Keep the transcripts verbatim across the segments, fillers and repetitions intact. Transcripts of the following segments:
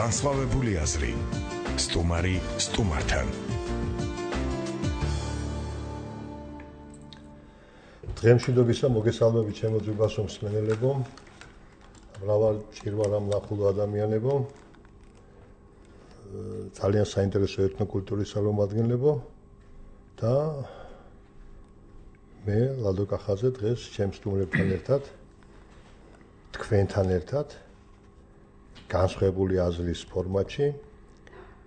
განსხვავებული აზრი. სტუმარი სტუმართან. დღემშვიდობისა მოგესალმებით ჩემო ძვირფასო მსმენელებო, მრავალ ჭირვარამ ნახულო ადამიანებო, ძალიან საინტერესო ეთნოკულტურის წარმომადგენლებო და მე ლადო კახაძე დღეს ჩემს სტუმრებთან ერთად თქვენთან ერთად განსხვავებული აზრის ფორმატში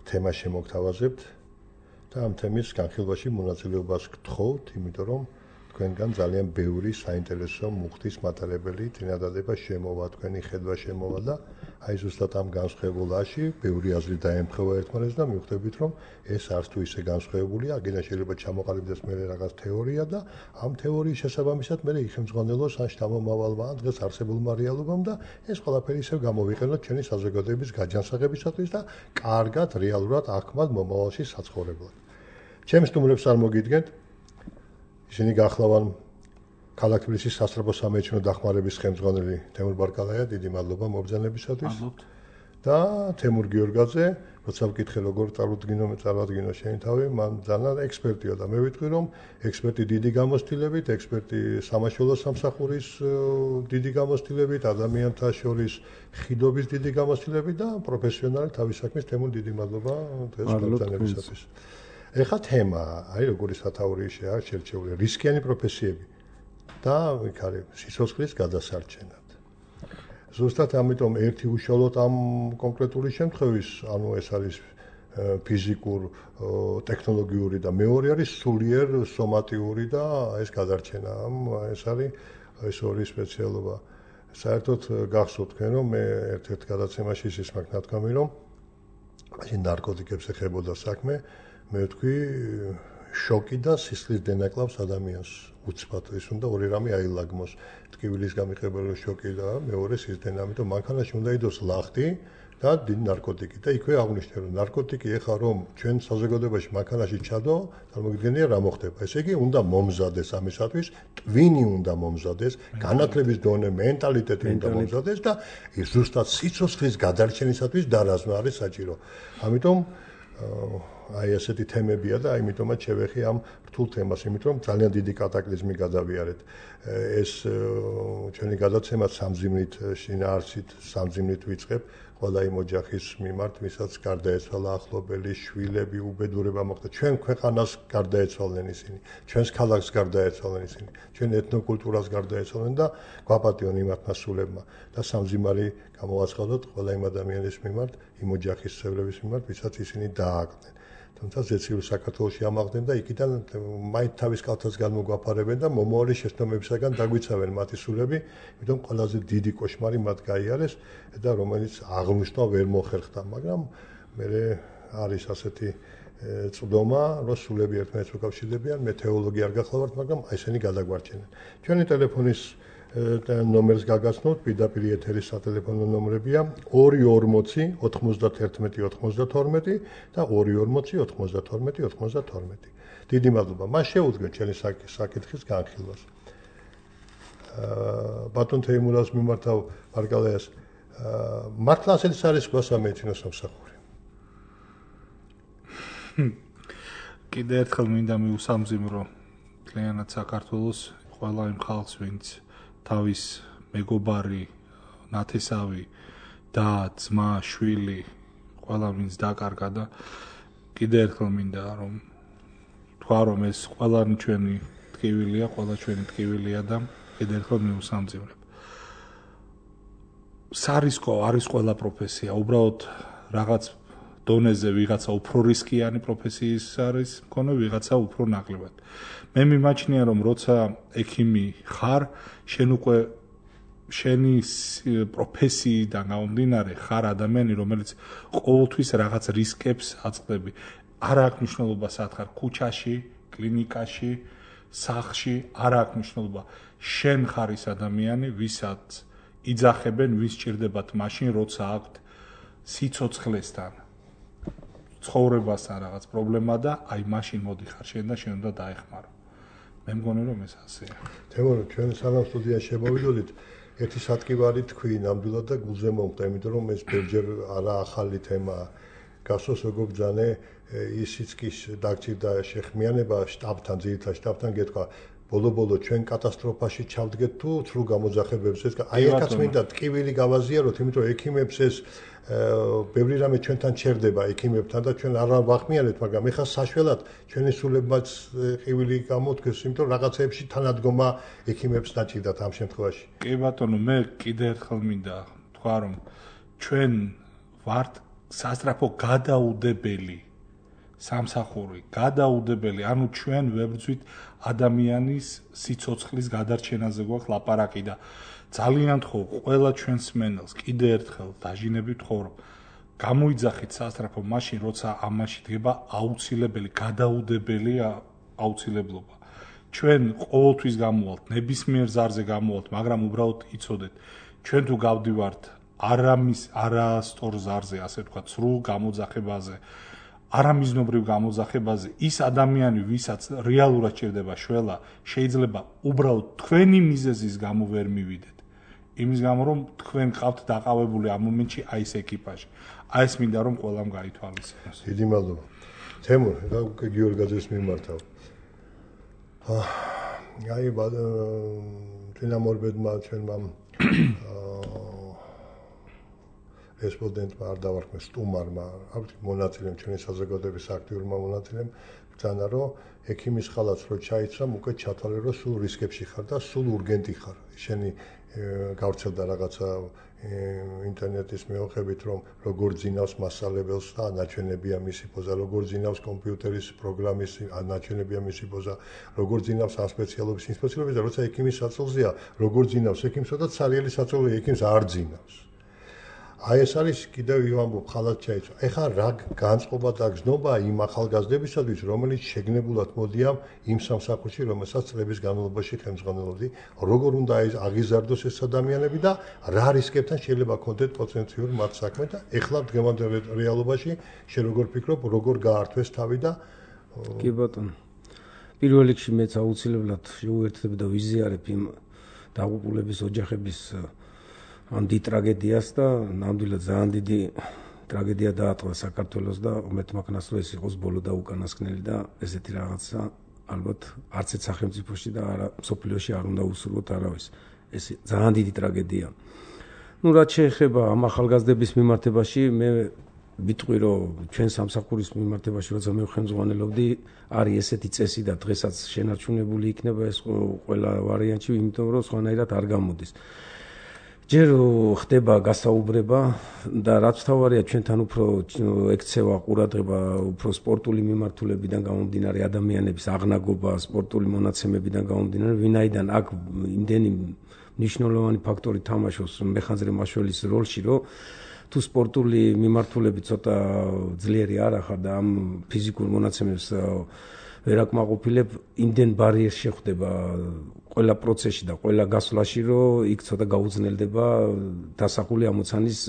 თემას შემოგთავაზებთ და ამ თემის განხილვაში მონაწილეობას გთხოვთ, იმიტომ რომ თქვენგან ძალიან ბევრი საინტერესო მუხტის მატარებელი წინადადება შემოვა, თქვენი ხედვა შემოვა და აი ზუსტად ამ განსხვავებულაში ბევრი აზრი დაემთხვევა ერთმანეთს და მივხვდებით რომ ეს არც თუ ისე განსხვავებულია, აგენა შეიძლება ჩამოყალიბდეს მე რაღაც თეორია და ამ თეორიის შესაბამისად მე იხელმძღვანელოს ან შთამომავალმა ან დღეს არსებულმა რეალობამ და ეს ყველაფერი ისევ გამოვიყენოთ ჩვენი საზოგადოების გაჯანსაღებისათვის და კარგად რეალურად აქმად მომავალში საცხოვრებლად. ჩემს სტუმრებს არ მოგიდგენთ ისინი გახლავან ქალაქ თბილისის სასწრაფო სამეცნიერო დახმარების ხელმძღვანელი თემურ ბარკალაია, დიდი მადლობა მობრძანებისათვის. და თემურ გიორგაძე, როცა ვკითხე როგორ წარუდგინო მე წარადგინო შენი თავი, მან ძალიან ექსპერტია და მე ვიტყვი რომ ექსპერტი დიდი გამოცდილებით, ექსპერტი სამაშველო სამსახურის დიდი გამოცდილებით, ადამიანთა შორის ხიდობის დიდი გამოცდილებით და პროფესიონალი თავის საქმის თემურ დიდი მადლობა დღეს მობრძანებისათვის. ეხლა თემა, აი როგორი სათაური შეა შერჩეული რისკიანი პროფესიები და იქ არის სიცოცხლის გადასარჩენად. ზუსტად ამიტომ ერთი უშუალოდ ამ კონკრეტული შემთხვევის, ანუ ეს არის ფიზიკურ, ტექნოლოგიური და მეორე არის სულიერ სომატიური და ეს გადარჩენა. ეს არის ეს ორი სპეციალობა. საერთოდ გახსოვთ თქვენ რომ მე ერთ-ერთ გადაცემაში ის მაქვს ნათქვამი რომ მაშინ ნარკოტიკებს ეხებოდა საქმე მე ვთქვი შოკი და სისხლის დენაკლავს ადამიანს უცბად ის უნდა ორი რამე აილაგმოს ტკივილის გამიყრებელი შოკი და მეორე სისხლდენა ამიტომ მანქანაში უნდა იდოს ლახტი და დიდი ნარკოტიკი და იქვე აღნიშნე რომ ნარკოტიკი ეხა რომ ჩვენ საზოგადოებაში მანქანაში ჩადო წარმოგიდგენია რა მოხდება ესე იგი უნდა მომზადეს ამისათვის ტვინი უნდა მომზადეს განათლების დონე მენტალიტეტი უნდა მომზადეს და ის ზუსტად სიცოცხლის გადარჩენისათვის დარაზმა არის საჭირო ამიტომ აი ასეთი თემებია და აიმიტომაც შევეხი ამ რთულ თემას, იმიტომ რომ ძალიან დიდი კატაკლიზმი გადავიარეთ. ეს ჩვენი გადაცემა სამძიმნით შინაარსით, სამძიმნით ვიწყებ ყველა იმ ოჯახის მიმართ, ვისაც გარდაეცვალა ახლობელი, შვილები, უბედურება მოხდა. ჩვენ ქვეყანას გარდაეცვალნენ ისინი, ჩვენს ქალაქს გარდაეცვალნენ ისინი, ჩვენ ეთნოკულტურას გარდაეცვალნენ და გვაპატიონ იმათ მასულებმა და სამძიმარი გამოვაცხადოთ ყველა იმ ადამიანის მიმართ, იმ ოჯახის წევრების მიმართ, ვისაც ისინი დააკლდნენ. თუმცა ზეციური საქართველოში ამაღლდნენ და იქიდან მაინც თავის კალთას განმოგვაფარებენ და მომავალი შეცდომებისაგან დაგვიცავენ მათი სულები, იმიტომ ყველაზე დიდი კოშმარი მათ გაიარეს და რომელიც აღნიშნვა ვერ მოხერხდა, მაგრამ მე არის ასეთი წვდომა, რომ სულები ერთმანეთს უკავშირდებიან, მე თეოლოგი არ გახლავართ, მაგრამ ესენი გადაგვარჩენენ. ჩვენი ტელეფონის ნომერს გაგაცნობთ, პირდაპირ ეთერის სატელეფონო ნომრებია ორი ორმოცი ოთხმოცდათერთმეტი ოთხმოცდათორმეტი და ორი ორმოცი ოთხმოცდათორმეტი ოთხმოცდათორმეტი. დიდი მადლობა. მას შეუდგეთ ჩვენი საკითხის განხილვას. ბატონ თეიმურას მიმართავ ბარკალაიას. მართლა ასეთი არის სხვა სამეცნიერო სამსახური. კიდე ერთხელ მინდა მიუსამძიმრო მთლიანად საქართველოს ყველა იმ ხალხს, ვინც თავის მეგობარი, ნათესავი და ძმა, შვილი, ყველა ვინც დაკარგა და კიდე ერთხელ მინდა რომ თქვა რომ ეს ყველანი ჩვენი ტკივილია, ყველა ჩვენი ტკივილია და კიდე ერთხელ მიუსამძიმრებ. სარისკო არის ყველა პროფესია, უბრალოდ რაღაც დონეზე ვიღაცა უფრო რისკიანი პროფესიის არის მქონე, ვიღაცა უფრო ნაკლებად. მე მიმაჩნია რომ როცა ექიმი ხარ, შენ უკვე შენი პროფესიიდან გამომდინარე ხარ ადამიანი, რომელიც ყოველთვის რაღაც რისკებს აწყდები. არ აქვს მნიშვნელობა სად ხარ, ქუჩაში, კლინიკაში, სახლში, არ აქვს მნიშვნელობა. შენ ხარ ის ადამიანი, ვისაც იძახებენ, ვის ჭირდებათ მაშინ, როცა აქვთ სიცოცხლესთან ცხოვრებასთან რაღაც პრობლემა და აი მაშინ მოდიხარ შენ და შენ უნდა დაეხმარო. მე მგონი რომ ეს ასეა. თემურ ჩვენ სანამ სტუდიაში შემოვიდოდით ერთი სატკივარი თქვი ნამდვილად და გულზე მომხდა, იმიტომ რომ ეს ბევრჯერ არა ახალი თემაა. გასოს როგორ ბრძანე ისიც კი დაგჭირდა შეხმიანება შტაბთან, ძირითად შტაბთან გეთქვა ბოლო-ბოლო ჩვენ კატასტროფაში ჩავდგეთ თუ ცრუ გამოძახებებს ეს აი აკაც მინდა ტკივილი გავაზიაროთ, იმიტომ რომ ექიმებს ეს ბევრი რამე ჩვენთან ჩერდება ექიმებთან და ჩვენ არ ვახმიანებთ, მაგრამ ეხლა საშველად ჩვენი სულებმაც ყივილი გამოთქვეს, იმიტომ რომ რაღაცეებში თანადგომა ექიმებს დაჭირდათ ამ შემთხვევაში. კი ბატონო, მე კიდე ერთხელ მინდა თქვა რომ ჩვენ ვართ სასწრაფო გადაუდებელი სამსახური, გადაუდებელი, ანუ ჩვენ ვებრძვით ადამიანის სიცოცხლის გადარჩენაზე გვაქვს ლაპარაკი და ძალიან თხოვ ყველა ჩვენს მენელს კიდე ერთხელ დაჟინებით თხოვ რომ გამოიძახით სასწრაფო მაშინ როცა ამაში დგება აუცილებელი გადაუდებელი აუცილებლობა. ჩვენ ყოველთვის გამოვალთ, ნებისმიერ ზარზე გამოვალთ, მაგრამ უბრალოდ იცოდეთ, ჩვენ თუ გავდივართ არამის არასწორ ზარზე, ასე ვთქვათ, სრულ გამოძახებაზე, არამიზნობრივ გამოძახებაზე, ის ადამიანი, ვისაც რეალურად ჭირდება შველა, შეიძლება უბრალოდ თქვენი მიზეზის გამო ვერ მივიდეთ. იმის გამო, რომ თქვენ ყავთ დაყავებული ამ მომენტში აი ეს ეკიპაჟი. აი ეს მინდა რომ ყველამ გაითვალისწინოს. დიდი მადლობა. თემურ, და გიორგაძეს მიმართავ. აი თინამორბედმა ჩვენმა რესპონდენტმა არ დავარქმე სტუმარმა, ავთი მონაწილემ ჩვენი საზოგადოების აქტიურმა მონაწილემ ბრძანა რომ ექიმის ხალაც რო ჩაიცრამ უკვე ჩათვალე რომ სულ რისკებში ხარ და სულ ურგენტი ხარ. შენი გავრცელდა რაღაცა ინტერნეტის მეოხებით რომ როგორ ძინავს მასალებელს და ნაჩვენებია მისი პოზა, როგორ ძინავს კომპიუტერის პროგრამის ნაჩვენებია მისი პოზა, როგორ ძინავს ამ სპეციალობის ინსპექციები და როცა ექიმის საწოლზეა, როგორ ძინავს ექიმსო და ცარიელი საწოლი ექიმს არ ძინავს. აი ეს არის კიდევ ვამბობ ხალხად ჩაიცვა. ეხლა რა განწყობა და გზნობა იმ ახალგაზრდებისათვის, რომელიც შეგნებულად მოდიან იმ სამსახურში, რომელსაც წლების განმავლობაში ხელმძღვანელობდი, როგორ უნდა აღიზარდოს ეს ადამიანები და რა რისკებთან შეიძლება კონდეთ პოტენციურ მათ საქმე და ეხლა დღევანდელ რეალობაში შენ როგორ ფიქრობ, როგორ გაართვეს თავი და კი ბატონო. პირველ რიგში მეც აუცილებლად შეუერთდები და ვიზიარებ იმ დაღუპულების ოჯახების ამ დიდ ტრაგედიას და ნამდვილად ძალიან დიდი ტრაგედია დაატყდა საქართველოს და უმეთმაქნას რომ ეს იყოს ბოლო და უკანასკნელი და ესეთი რაღაცა ალბათ არც ერთ სახელმწიფოში და არა სოფლიოში არ უნდა უსურვოთ არავის. ეს ძალიან დიდი ტრაგედია. ნუ რაც შეეხება ამ ახალგაზრდების მიმართებაში, მე ვიტყვი რომ ჩვენ სამსახურის მიმართებაში როცა მე ხელმძღვანელობდი, არის ესეთი წესი და დღესაც შენარჩუნებული იქნება ეს ყველა ვარიანტი, იმიტომ რომ სხვანაირად არ გამოდის. ჯერ ხდება გასაუბრება და რაც თავარია ჩვენთან უფრო ექცევა ყურადღება უფრო სპორტული მიმართულებიდან გამომდინარე ადამიანების აღნაგობა, სპორტული მონაცემებიდან გამომდინარე, ვინაიდან აქ იმდენი მნიშვნელოვანი ფაქტორი თამაშობს მეხანძრე მაშველის როლში, რომ თუ სპორტული მიმართულები ცოტა ძლიერი არ ახარ და ამ ფიზიკურ მონაცემებს ვერ აკმაყოფილებ, იმდენ ბარიერს შეხვდება ყველა პროცესში და ყველა გასვლაში, რომ იქ ცოტა გაუძნელდება დასახული ამოცანის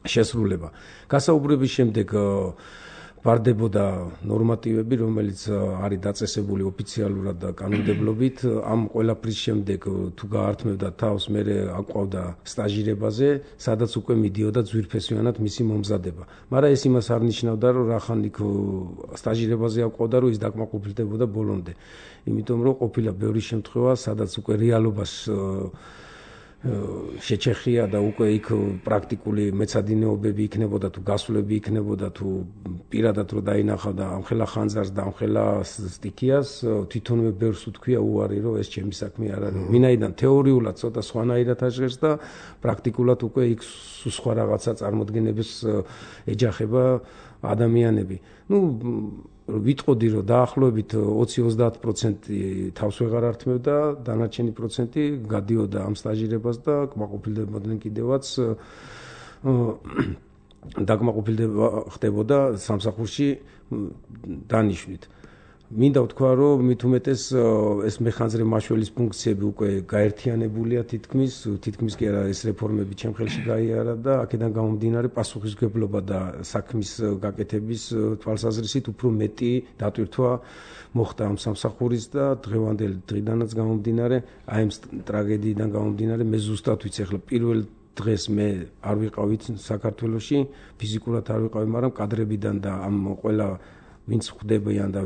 შესრულება. გასაუბრების შემდეგ ბარდებოდა ნორმატივები, რომელიც არის დაწესებული ოფიციალურად და კანონმდებლობით. ამ ყველაფრის შემდეგ თუ გაართმევდა თავს, მე აყვავდა სტაჟირებაზე, სადაც უკვე მიდიოდა ძვირფესვიანად მისი მომზადება. მაგრამ ეს იმას არ ნიშნავდა, რომ რახან იქ სტაჟირებაზე აყვავდა, რომ ის დაკმაყოფილდებოდა ბოლომდე. იმიტომ რომ ყოფილა ბევრი შემთხვევა, სადაც უკვე რეალობას შეჩეხია და უკვე იქ პრაქტიკული მეცადინეობები იქნებოდა თუ გასვლები იქნებოდა თუ პირადად რო დაინახავ და ამხელა ხანძარს და ამხელა სტიქიას თვითონვე ბევრს უთქვია უარი რომ ეს ჩემი საქმე არ არის. ვინაიდან თეორიულად ცოტა სხვანაირად აღჟღერს და პრაქტიკულად უკვე იქ სხვა რაღაცა წარმოდგენებს ეჯახება ადამიანები. ნუ ვიტყოდი რომ დაახლოებით ოცი ოცდაათ პროცენტი თავს ვეღარ ართმევდა, დანარჩენი პროცენტი გადიოდა ამ სტაჟირებას და კმაყოფილდებოდნენ კიდევაც დაკმაყოფილდება ხდებოდა სამსახურში დანიშვნით. მინდა ვთქვა, რომ მით უმეტეს ეს მეხანძრე მაშველის ფუნქციები უკვე გაერთიანებულია თითქმის, თითქმის კი არა ეს რეფორმები ჩემ ხელში გაიარა და აქედან გამომდინარე პასუხისმგებლობა და საქმის გაკეთების თვალსაზრისით უფრო მეტი დატვირთვა მოხდა ამ სამსახურის და დღევანდელი დღიდანაც გამომდინარე აი ამ ტრაგედიიდან გამომდინარე მე ზუსტად ვიცი ახლა პირველ დღეს მე არ ვიყავით საქართველოში, ფიზიკურად არ ვიყავი, მაგრამ კადრებიდან და ამ ყველა ვინც ხვდებიან და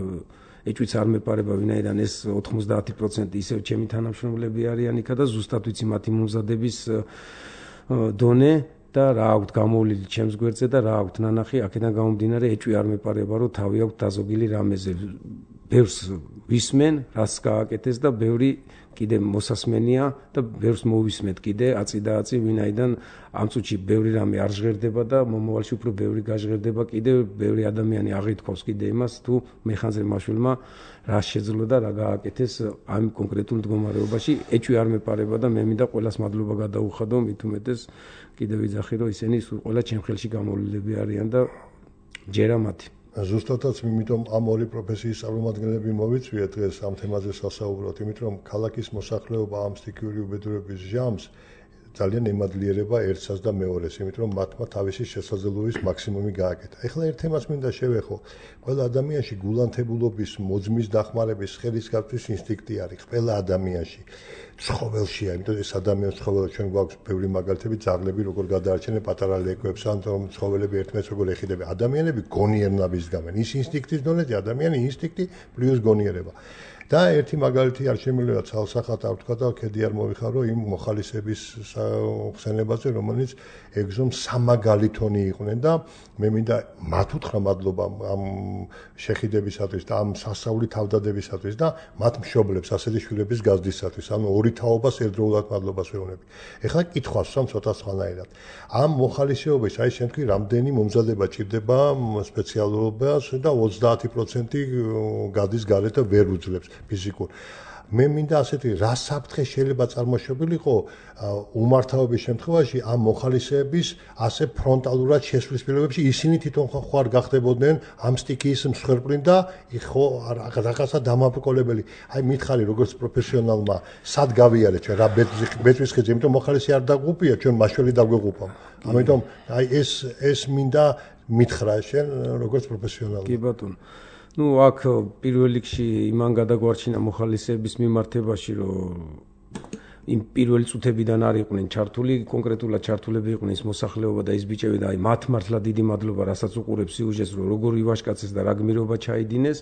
ეჭვიც არ მეპარება ვინაიდან ეს ოთხმოცდაათი პროცენტი ისევ ჩემი თანამშრომლები არიან იქა და ზუსტად ვიცი მათი მომზადების დონე და რა აქვთ გამოვლილი ჩემს გვერდზე და რა აქვთ ნანახი, აქედან გამომდინარე ეჭვი არ მეპარება, რომ თავი აქვთ დაზოგილი რამეზე. ბევრს ვისმენ, რაც გააკეთეს და ბევრი კიდე მოსასმენია და ბევრს მოვისმენთ კიდე აწი და აწი, ვინაიდან ამ წუთში ბევრი რამე არ ჟღერდება და მომავალში უფრო ბევრი გაჟღერდება კიდე, ბევრი ადამიანი აღითქვავს კიდე იმას, თუ მეხანძრე მაშველმა რა შეძლო და რა გააკეთეს ამ კონკრეტულ მდგომარეობაში. ეჭვი არ მეპარება და მე მინდა ყველას მადლობა გადაუხადო, მით უმეტეს კიდე ვიძახი, რომ ისინი ყველა ჩემ ხელში გამოვლილები არიან და ჯერა მათი. ზუსტადაც იმიტომ ამ ორი პროფესიის წარმომადგენლები მოვიწვიეთ დღეს ამ თემაზე სასაუბროთ, იმიტომ რომ ქალაქის მოსახლეობა ამ სტიქიური უბედურების ჟამს ძალიან ემადლიერება ერთსაც და მეორეს, იმიტომ რომ მათმა თავისი შესაძლებლობის მაქსიმუმი გააკეთა. ეხლა ერთ თემას მინდა შევეხო. ყველა ადამიანში გულანთებულობის, მოძმის დახმარების, ხელის გაწვის ინსტინქტი არის ყველა ადამიანში. ცხოველშია, იმიტომ ეს ადამიანის ცხოველი ჩვენ გვაქვს ბევრი მაგალითები, ძაღლები როგორ გადაარჩენენ პატარა ლეკვებს, ან ცხოველები ერთმანეთს როგორ ეხიდებიან. ადამიანები გონიერნაბის გამენ. ის ინსტინქტის დონეზე ადამიანი ინსტინქტი პლუს გონიერება. და ერთი მაგალითი არ შემიძლია ცალსახად არ ვთქვა და ქედი არ მოვიხარო იმ მოხალისების ხსენებაზე, რომელიც ეგზომ სამაგალითონი იყვნენ და მე მინდა მათ უთხრა მადლობა ამ შეხედებისათვის და ამ სასწაული თავდადებისათვის და მათ მშობლებს ასეთი შვილების გაზრდისათვის, ანუ ორი თაობას ერთდროულად მადლობას ვეუბნები. ეხლა კითხვას ვსვამ ცოტა სხვანაირად. ამ მოხალისეობის აი შენ თქვი, რამდენი მომზადება ჭირდება სპეციალობას და ოცდაათი პროცენტი გადის გარეთ და ვერ უძლებს ფიზიკურ. მე მინდა ასეთი რა საფრთხე შეიძლება წარმოშობილიყო უმართავობის შემთხვევაში ამ მოხალისეების ასე ფრონტალურად შესვლის პირობებში ისინი თვითონ ხო არ გახდებოდნენ ამ სტიქიის მსხვერპლი და ხო რაღაცა დამაბრკოლებელი. აი მითხარი როგორც პროფესიონალმა სად გავიარეთ ჩვენ რა ბეწვის ხიძი, იმიტომ მოხალისე არ დაგუპია, ჩვენ მაშველი დაგვეღუპავ. ამიტომ აი ეს ეს მინდა მითხრა შენ როგორც პროფესიონალმა. კი ბატონო. ну აქ პირველ რიგში იმან გადაგვარჩინა მოხალისეების მიმართებაში, რომ იმ პირველი წუთებიდან არ იყვნენ ჩართული, კონკრეტულად ჩართულები იყვნენ ის მოსახლეობა და ის ბიჭები და აი მათ მართლა დიდი მადლობა, რასაც უყურებს სიუჟეტს, რომ როგორ ივაშკაცეს და რა გმირობა ჩაიდინეს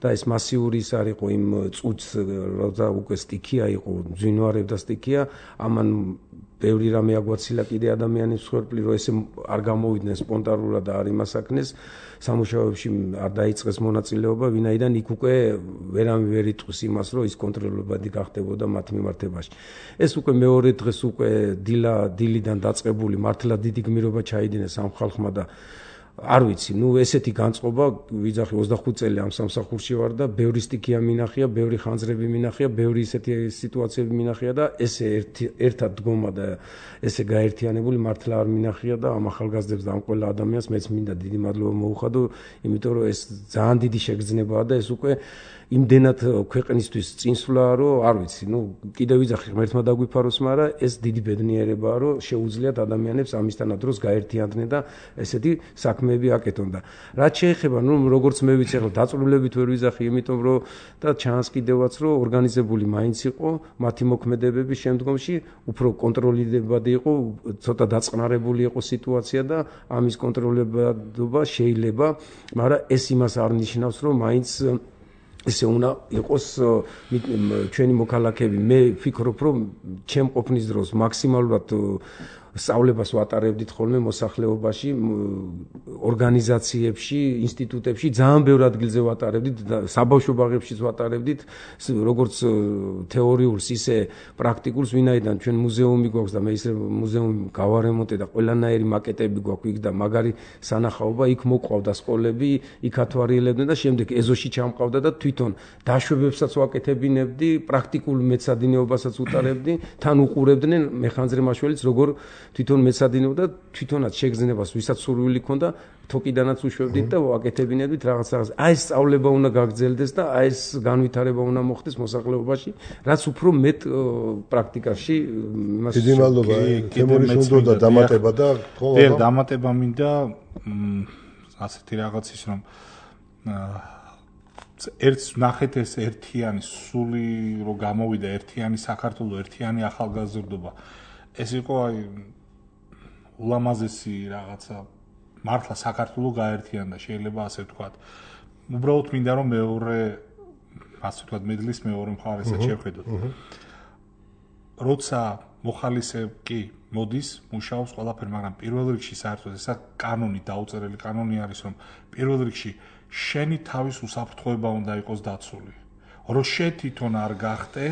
და ეს მასიური ის არ იყო იმ წუთს, როცა უკვე სტიქია იყო, ძვინვარებდა სტიქია, ამან ბევრი რამე აგვაცილა კიდე ადამიანის მსხვერპლი, რომ ესე არ გამოვიდნენ სპონტანურად და არ იმასაკნეს სამუშაოებში არ დაიწყეს მონაწილეობა, ვინაიდან იქ უკვე ვერამი ვერ იტყვის იმას, რომ ის კონტროლებადი გახდებოდა მათ მიმართებაში. ეს უკვე მეორე დღეს უკვე დილა დილიდან დაწყებული მართლა დიდი გმირობა ჩაიდინეს ამ ხალხმა და არ ვიცი, ну ესეთი განწყობა ვიძახი ოცდახუთი წელი ამ სამსახურში ვარ და ბევრი სტიქია მინახია, ბევრი ხანძრები მინახია, ბევრი ისეთი სიტუაციები მინახია და ესე ერთად დგომა და ესე გაერთიანებული მართლა არ მინახია და ამ ახალგაზრდებს და ამ ყველა ადამიანს მეც მინდა დიდი მადლობა მოუხადო, იმიტომ რომ ეს ძალიან დიდი შეგრძნებაა და ეს უკვე იმდენად ქვეყნისთვის წინსვლაა, რომ არ ვიცი, ну კიდევ ვიძახი ღმერთმა დაგვიფაროს, მაგრამ ეს დიდი ბედნიერებაა, რომ შეუძლიათ ადამიანებს ამისთანა დროს გაერთიანდნენ და ესეთი საქმეები აკეთონ და რაც შეეხება, ну როგორც მე ვიცი, ახლა დაწვრილებით ვერ ვიძახი, იმიტომ რომ და ჩანს კიდევაც, რომ ორგანიზებული მაინც იყო, მათი მოქმედებების შემდგომში უფრო კონტროლებადი იყო, ცოტა დაწყნარებული იყო სიტუაცია და ამის კონტროლებადობა შეიძლება, მაგრამ ეს იმას არ ნიშნავს, რომ მაინც ესე უნდა იყოს ჩვენი მოქალაქეები. მე ვფიქრობ, რომ ჩემ ყოფნის დროს მაქსიმალურად სწავლებას ვატარებდით ხოლმე მოსახლეობაში, ორგანიზაციებში, ინსტიტუტებში, ძალიან ბევრ ადგილზე ვატარებდით, საბავშვო ბაღებშიც ვატარებდით, როგორც თეორიულს, ისე პრაქტიკულს, ვინაიდან ჩვენ მუზეუმი გვაქვს და მე ისე მუზეუმი გავარემონტე და ყველანაირი მაკეტები გვაქვს იქ და მაგარი სანახაობა, იქ მოყვავდა სკოლები, იქ ათვარიელებდნენ და შემდეგ ეზოში ჩამყავდა და თვითონ დაშვებებსაც ვაკეთებინებდი, პრაქტიკულ მეცადინეობასაც უტარებდი, თან უყურებდნენ მეხანძრე მაშველიც, როგორ თვითონ მეცადინეობდა თვითონაც შეგრძნებას ვისაც სურვილი ქონდა თოკიდანაც უშვებდით და ვაკეთებინებდით რაღაც რაღაც. აი ეს სწავლება უნდა გაგრძელდეს და აი ეს განვითარება უნდა მოხდეს მოსახლეობაში, რაც უფრო მეტ პრაქტიკაში იმას დიდი მადლობა. თემურის უნდა დამატება და ხო და დამატება მინდა ასეთი რაღაცის რომ ერთს ნახეთ ეს ერთიანი სული რო გამოვიდა ერთიანი საქართველოს ერთიანი ახალგაზრდობა ეს იყო აი ულამაზესი რაღაცა მართლა საქართველოს გაერთიანდა შეიძლება ასე ვთქვათ. უბრალოდ მინდა რომ მეორე ასე ვთქვათ მედლის მეორე მხარესაც შევხედოთ. როცა მოხალისე კი მოდის მუშაობს ყველაფერი, მაგრამ პირველ რიგში საერთოდ ესა კანონი დაუწერელი კანონი არის რომ პირველ რიგში შენი თავის უსაფრთხოება უნდა იყოს დაცული. რომ შე თვითონ არ გახტე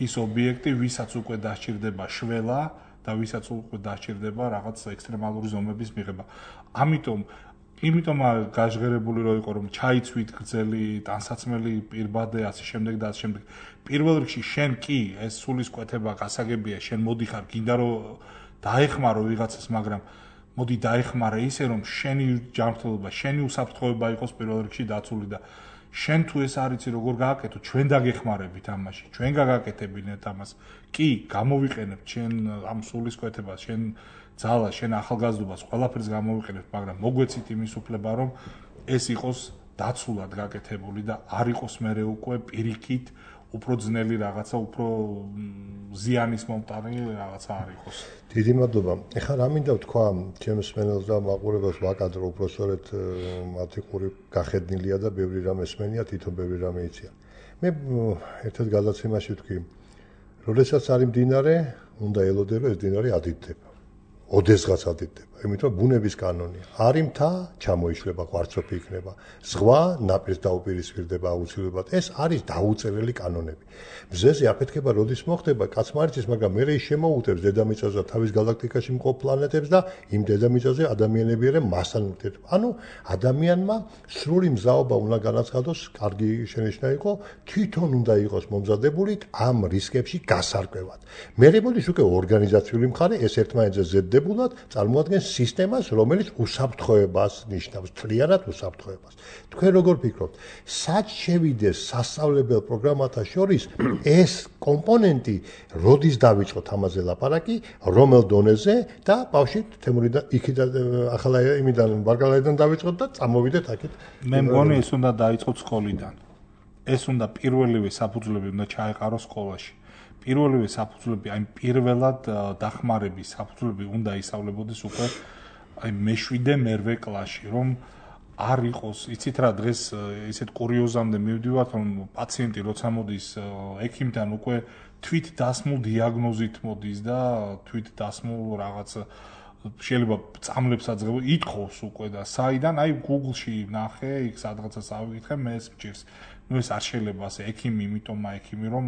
ის ობიექტი, ვისაც უკვე დასჭირდება შველა და ვისაც უკვე დასჭირდება რაღაც ექსტრემალური ზომების მიღება. ამიტომ იმიტომ გაჟღერებული რო იყო რომ ჩაიცვით გრძელი ტანსაცმელი პირბადე ასე შემდეგ და ასე შემდეგ. პირველ რიგში შენ კი ეს სულისკვეთება გასაგებია, შენ მოდიხარ, გინდა რომ დაეხმარო ვიღაცას, მაგრამ მოდი დაეხმარე ისე რომ შენი ჯანმრთელობა, შენი უსაფრთხოება იყოს პირველ რიგში დაცული და შენ თუ ეს არიცი როგორ გააკეთო, ჩვენ დაგეხმარებით ამაში, ჩვენ გაგაკეთებინეთ ამას. კი, გამოვიყენებთ შენ ამ სულისკვეთებას, შენ ძალას, შენ ახალგაზრდობას, ყველაფერს გამოვიყენებთ, მაგრამ მოგვეცით იმის უფლება, რომ ეს იყოს დაცულად გაკეთებული და არ იყოს მერე უკვე პირიქით უფრო ძნელი რაღაცა, უფრო ზიანის მომტანი რაღაცა არ იყოს. დიდი მადლობა. ეხლა რა მინდა ვთქვა, ჩემს მსმენელს და მაყურებელს ვაკადრო, უფრო სწორედ მათი ყური გახედნილია და ბევრი რამ ესმენია, თვითონ ბევრი რამ იციან. მე ერთად გადაცემაში ვთქვი, როდესაც არის მდინარე, უნდა ელოდე, რომ ეს მდინარე ადიდდება. ოდესღაც ადიდდება. იმიტომ ბუნების კანონია. არის მთა, ჩამოიშლება, კვარცხლბი იქნება. ზღვა ნაპირს დაუპირისპირდება აუცილებლად. ეს არის დაუწერელი კანონები. მზეზე აფეთქება როდის მოხდება, კაცმა არ იცის, მაგრამ მე ის შემოუტევს დედამიწაზე და თავის გალაქტიკაში მყოფ პლანეტებს და იმ დედამიწაზე ადამიანები არიან მასთან ურთიერთობა. ანუ ადამიანმა სრული მზაობა უნდა განაცხადოს, კარგი შენიშვნა იყო, თვითონ უნდა იყოს მომზადებული ამ რისკებში გასარკვევად. მე რემოდის უკვე ორგანიზაციული მხარე ეს ერთმანეთზე ზედდებულად წარმოადგენს სისტემას, რომელიც უსაფრთხოებას ნიშნავს, თლიანად უსაფრთხოებას. თქვენ როგორ ფიქრობთ, სად შევიდეს სასწავლებელ პროგრამათა შორის ეს კომპონენტი, როდის დავიწყოთ ამაზე ლაპარაკი, რომელ დონეზე და ბავშვი თემურიდან იქიდან ახლა იმიდან ვარგალაიდან დავიწყოთ და წამოვიდეთ აქეთ. მე მგონი ეს უნდა დაიწყოთ სკოლიდან. ეს უნდა პირველივე საფუძვლები უნდა ჩაეყაროს სკოლაში. პირველივე საფუძვლები, აი პირველად დახმარების საფუძვლები უნდა ისწავლებოდეს უკვე აი მეშვიდე მერვე კლასში, რომ არ იყოს, იცით რა, დღეს ისეთ კურიოზამდე მივდივართ, რომ პაციენტი როცა მოდის ექიმთან უკვე თვით დასმულ დიაგნოზით მოდის და თვით დასმულ რაღაც შეიძლება წამლებსაც ღება, ითხოვს უკვე და საიდან, აი Google-ში ნახე, იქ სადღაცას ავიკითხე, მე ეს მჭირს. ნუ ეს არ შეიძლება ასე ექიმი, იმიტომ ექიმი რომ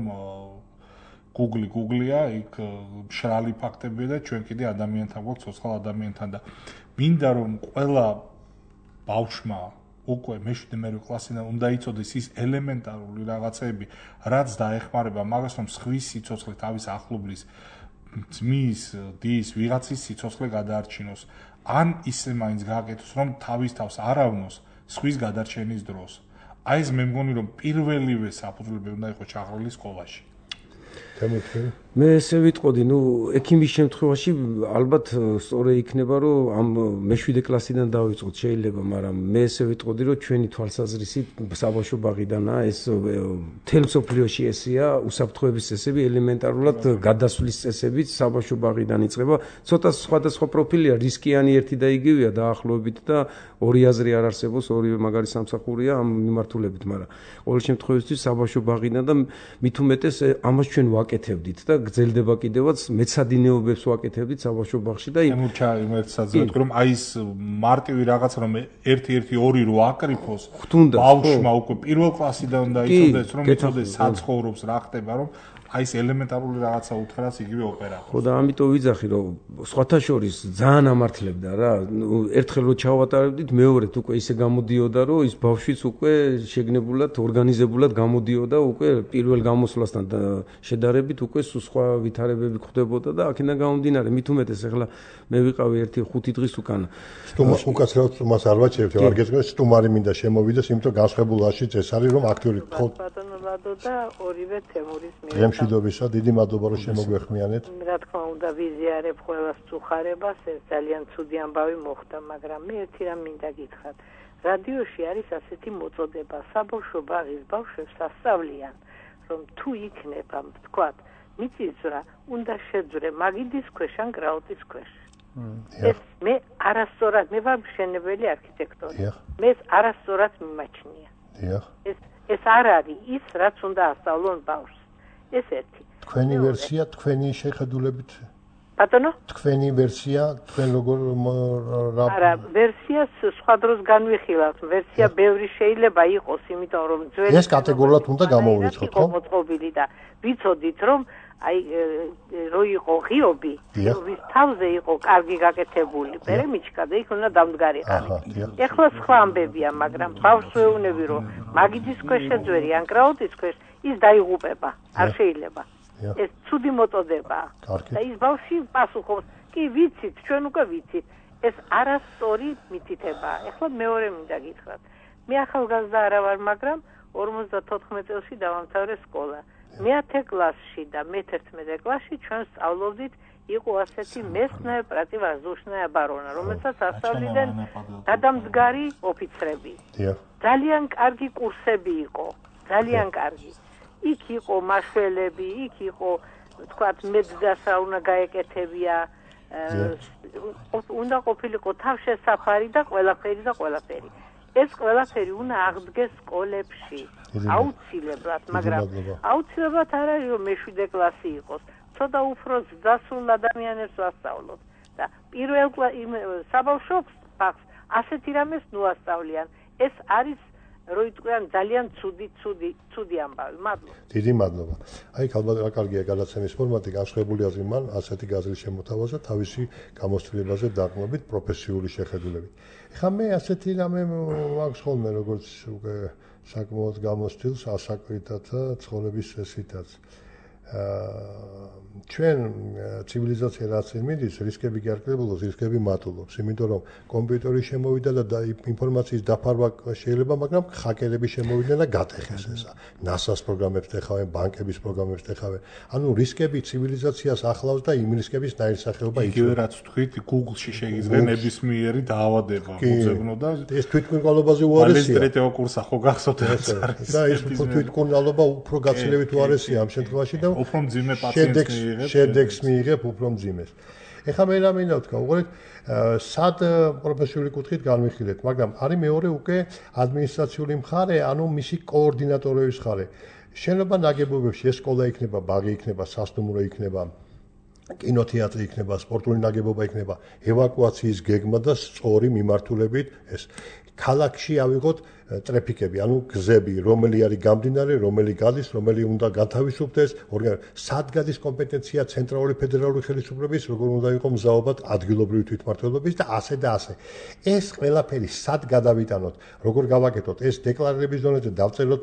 Google Google-ია, იქ მშრალი ფაქტებია და ჩვენ კიდე ადამიანთან გვაქვს, ცოცხალ ადამიანთან და მინდა რომ ყველა ბავშვმა უკვე მეშვიდე მერვე კლასიდან უნდა იცოდეს ის ელემენტარული რაღაცები, რაც დაეხმარება მაგას, რომ სხვის სიცოცხლე თავის ახლობლის ძმის, დის, ვიღაცის სიცოცხლე გადაარჩინოს. ან ისე მაინც გააკეთოს, რომ თავის თავს არ ავნოს სხვის გადარჩენის დროს. აი ეს მე მგონი რომ პირველივე საფუძვლები უნდა იყოს ჩაღრმავილი სკოლაში. მე ესე ვიტყოდი, ნუ ექიმის შემთხვევაში ალბათ სწორი იქნება, რომ ამ მეშვიდე კლასიდან დავიწყოთ შეიძლება, მაგრამ მე ესე ვიტყოდი, რომ ჩვენი თვალსაზრისით საბავშვო ბაღიდანაა ეს მთელ მსოფლიოში ესეა, უსაფრთხოების წესები, ელემენტარულად გადასვლის წესებიც საბავშვო ბაღიდან იწყება. ცოტა სხვადასხვა პროფილია, რისკიანი ერთი და იგივეა დაახლოებით და ორი აზრი არ არსებობს, ორივე მაგარი სამსახურია ამ მიმართულებით, მაგრამ ყოველ შემთხვევაში საბავშვო ბაღიდან და მით უმეტეს ამას ჩვენ ვაკეთებდით და გრძელდება კიდევაც მეცადინეობებს ვაკეთებდით საბავშვო ბაღში და იმ ერთსაც ვეთქვი რომ აი ეს მარტივი რაღაც რომ ერთი ერთი ორი რო აკრიფოს ბავშვმა უკვე პირველ კლასიდან უნდა იცოდეს რომ იცოდეს საცხოვრობს რა ხდება რომ აი ეს ელემენტარული რაღაცა უთხრას იგივე ოპერატორს. ხო და ამიტომ ვიძახი რომ სხვათა შორის ძალიან ამართლებდა რა. ერთხელ რო ჩავატარებდით, მეორედ უკვე ისე გამოდიოდა რომ ის ბავშვიც უკვე შეგნებულად, ორგანიზებულად გამოდიოდა უკვე პირველ გამოსვლასთან შედარებით უკვე სხვა ვითარებები ხდებოდა და აქედან გამომდინარე მით უმეტეს ახლა მე ვიყავი ერთი ხუთი დღის უკან. სტუმარს უკაცრავად სტუმარს არ ვაჩერებთ, არ გეცნობ სტუმარი მინდა შემოვიდეს, იმიტომ განსხვავებულაშიც ეს არის რომ აქტიური თქო ბატონო და ორივე თემურის მიერ. გემშვიდობისა, დიდი მადლობა რომ შემოგვეხმიანეთ. რა თქმა უნდა ვიზიარებ ყველას წუხარებას, ეს ძალიან ცუდი ამბავი მოხდა, მაგრამ მე ერთი რამ მინდა გითხრათ. რადიოში არის ასეთი მოწოდება, საბავშვო ბაღის ბავშვებს ასწავლიან, რომ თუ იქნება, თქვათ, მიწისძვრა, უნდა შეძვრე მაგიდის ქვეშ ან გრაუტის ქვეშ. ეს მე არასწორად, მე ვარ მშენებელი არქიტექტორი. მე არასწორად მიმაჩნია. ეს ეს არ არის ის, რაც უნდა ასწავლონ ბავშვს. ეს ერთი. თქვენი ვერსია, თქვენი შეხედულებით ბატონო? თქვენი ვერსია, თქვენ როგორ არა, ვერსიას სხვა დროს განვიხილავთ. ვერსია ბევრი შეიძლება იყოს, იმიტომ რომ ძველი ეს კატეგორიულად უნდა გამოვიწყოთ, ხო? მოწყობილი და ვიცოდით რომ აი რო იყო ღიობი, ღიობის თავზე იყო კარგი გაკეთებული, პერემიჩკა და იქ უნდა დამდგარიყარი. ეხლა სხვა ამბებია, მაგრამ ბავშვს ვეუბნები რომ მაგიდის ქვეშ შეძვერი ან კრაუტის ქვეშ ის დაიღუპება, არ შეიძლება. ეს ცუდი მოწოდებაა. და ის ბავშვი პასუხობს, კი ვიცით, ჩვენ უკვე ვიცით. ეს არასწორი მითითებაა. ეხლა მეორე მინდა გითხრათ. მე ახალგაზრდა არა ვარ, მაგრამ ორმოცდათოთხმეტ წელში დავამთავრე სკოლა. მეათე კლასში და მეთერთმეტე კლასში ჩვენ სწავლობდით, იყო ასეთი მესტნაე პრატივაზუშნაე ბარონა, რომელსაც ასწავლიდნენ გადამდგარი ოფიცრები. ძალიან კარგი კურსები იყო, ძალიან კარგი. იქ იყო მაშველები, იქ იყო, თქვათ, მეძდასა უნდა გაეკეთებია, უნდა ყოფილიყო თავშესაფარი და ყველაფერი და ყველაფერი. ეს ყველაფერი უნდა აღდგეს სკოლებში, აუცილებლად, მაგრამ აუცილებლად არ არის რომ მეშვიდე კლასი იყოს. ცოტა უფრო ზრდასრულ ადამიანებს ვასწავლოთ და პირველ საბავშვო ბაღს ასეთი რამეს ნუ ასწავლიან. ეს არის რო იტყვიან ძალიან ცუდი ცუდი ცუდი ამბავი. მადლობა. დიდი მადლობა. აი ალბათ რა კარგია გადაცემის ფორმატი, განსხვავებული აზრი მან ასეთი გაზრის შემოთავაზა თავისი გამოცდილებაზე დაყრდნობით პროფესიული შეხედულებით. ეხლა მე ასეთი რამე მაქვს ხოლმე როგორც უკვე საკმაოდ გამოცდილს ასაკვითაც და ცხოვრების წესითაც. ჩვენ ცივილიზაცია რაც მიდის, რისკები კი არ კლებულობს, რისკები მატულობს, იმიტომ რომ კომპიუტერი შემოვიდა და ინფორმაციის დაფარვა შეიძლება, მაგრამ ჰაკერები შემოვიდნენ და გატეხეს ესა. ნასას პროგრამებს ეხავენ, ბანკების პროგრამებს ეხავენ. ანუ რისკები ცივილიზაციას ახლავს და იმ რისკების ნაირსახეობა იცვლება. იგივე რაც თქვით, Google-ში შეიძლება ნებისმიერი დაავადება მოძებნო და ეს თვითმკვლელობაზე უარესია. ალესტრეტეო კურსა ხო გახსოვთ ეს არის. და ეს თვითმკვლელობა უფრო გაცილებით უარესია ამ შემთხვევაში და უფრო მძიმე პაციენტს შედეგს მიიღებ უფრო მძიმეს. ეხლა მე რა მინდა ვთქვა, უყურეთ, სად პროფესიული კუთხით განვიხილეთ, მაგრამ არის მეორე უკვე ადმინისტრაციული მხარე, ანუ მისი კოორდინატორების მხარე. შენობა ნაგებობებში ეს სკოლა იქნება, ბაღი იქნება, სასტუმრო იქნება, კინოთეატრი იქნება, სპორტული ნაგებობა იქნება, ევაკუაციის გეგმა და სწორი მიმართულებით ეს ქალაქში ავიღოთ ტრაფიკები, ანუ გზები, რომელი არის გამდინარე, რომელი გადის, რომელი უნდა გათავისუფლდეს, სად გადის კომპეტენცია ცენტრალური ფედერალური ხელისუფლების, როგორ უნდა იყოს მზაობა ადგილობრივი თვითმმართველობის და ასე და ასე. ეს ყველაფერი სად გადავიტანოთ, როგორ გავაკეთოთ, ეს დეკლარირების დონეზე დავწეროთ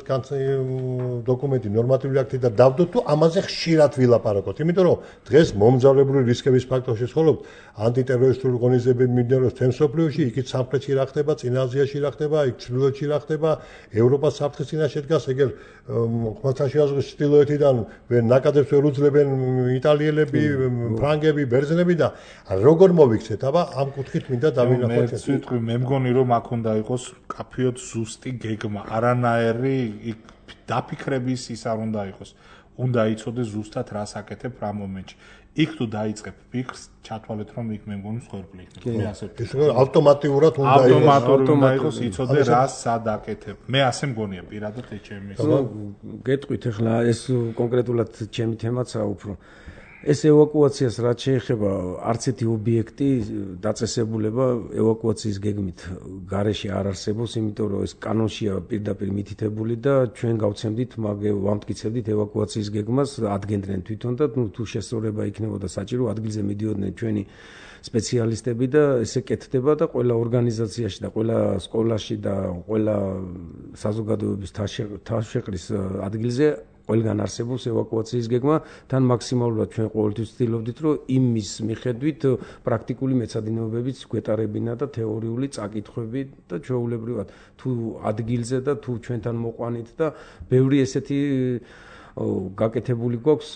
დოკუმენტი, ნორმატიული აქტი და დავდოთ თუ ამაზე ხშირად ვილაპარაკოთ, იმიტომ რომ დღეს მომძალებული რისკების ფაქტორში ცხოვრობთ, ანტიტერორისტული ღონისძიებები მიმდინარეობს თემ სოფლიოში, იქით სამხრეთში რა ხდება, წინა აზიაში რა ხდება, იქ ჩრდილოეთში რა ხდება, ევროპა საფრთხის წინაშე დგას, ეგერ ხმელთაშუა ზღვის ჩრდილოეთიდან ნაკადებს ვერ უძლებენ იტალიელები, ფრანგები, ბერძნები და როგორ მოვიქცეთ, აბა ამ კუთხით მინდა დავინახოთ. მე ვიტყვი, მე მგონი რომ აქ უნდა იყოს კაფეოდ ზუსტი გეგმა, არანაირი დაფიქრების ის არ უნდა იყოს. უნდა იცოდეს ზუსტად რას აკეთებ რა მომენტში. იქ თუ დაიწყებ ფიქრს, ჩათვალეთ რომ იქ მე მგონი მსხვერპლი იქნება. მე ასე ვფიქრობ. ეს ავტომატურად უნდა იყოს. ავტომატურად უნდა იყოს, იცოდე რას სად აკეთებ. მე ასე მგონია პირადად ეს ჩემი. გეტყვით ახლა ეს კონკრეტულად ჩემი თემაცაა უფრო. ეს ევაკუაციას რაც შეეხება არც ერთი ობიექტი დაწესებულება ევაკუაციის გეგმით გარეშე არ არსებობს, იმიტომ რომ ეს კანონშია პირდაპირ მითითებული და ჩვენ გავცემდით, მაგ ვამტკიცებდით ევაკუაციის გეგმას, ადგენდნენ თვითონ და ნუ თუ შესწორება იქნებოდა საჭირო, ადგილზე მიდიოდნენ ჩვენი სპეციალისტები და ესე კეთდება და ყველა ორგანიზაციაში და ყველა სკოლაში და ყველა საზოგადოების თავშეყრის ადგილზე ყველგან არსებობს ევაკუაციის გეგმა, თან მაქსიმალურად ჩვენ ყოველთვის ვცდილობდით, რომ იმის მიხედვით პრაქტიკული მეცადინეობებიც გვეტარებინა და თეორიული წაკითხვები და ჩვეულებრივად თუ ადგილზე და თუ ჩვენთან მოყვანით და ბევრი ესეთი გაკეთებული გვაქვს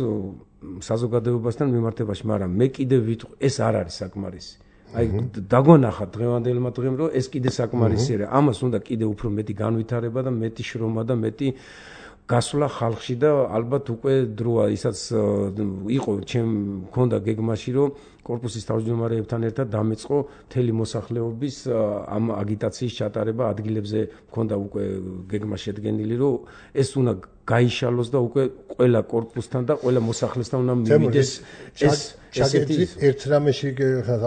საზოგადოებასთან მიმართებაში, მაგრამ მე კიდევ ვიტყვი, ეს არ არის საკმარისი. აი დაგვანახა დღევანდელმა დღემ, რომ ეს კიდე საკმარისია. ამას უნდა კიდე უფრო მეტი განვითარება და მეტი შრომა და მეტი გასვლა ხალხში და ალბათ უკვე დროა ისაც იყო ჩემ მქონდა გეგმაში რომ კორპუსის თავმჯდომარეებთან ერთად დამეწყო მთელი მოსახლეობის ამ აგიტაციის ჩატარება ადგილებზე მქონდა უკვე გეგმა შედგენილი რომ ეს უნდა გაიშალოს და უკვე ყველა კორპუსთან და ყველა მოსახლესთან უნდა მივიდეს ეს ესეთი ერთ რამეში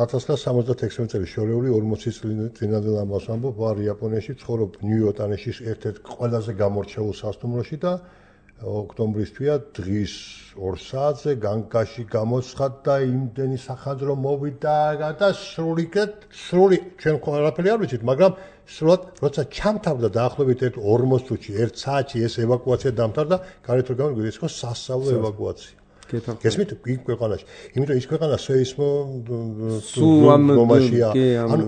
ათას ცხრაასა სამოცდაექვსი წელი შორეული ორმოცი წინანდელ ამბავს ამბობ ვარ იაპონიაში ცხოვრობ ნიუ-იორკში ერთ-ერთ ყველაზე გამორჩეულ სასტუმროში და ოქტომბრის თვეა დღის ორ საათზე განგაში გამოცხადდა იმდენი სახანძრო მოვიდა და სრული სრული ჩვენ ყველაფერი არ ვიცით მაგრამ სრულად როცა ჩამთავრდა დაახლოებით ერთ ორმოც წუთში ერთ საათში ეს ევაკუაცია დამთავრდა გარეთ რომ გამოვიდეს ის იყო სასწავლო ევაკუაცია გესმით იქ ქვეყანაში იმიტომ ის ქვეყანა სეისმო ზომაშია ანუ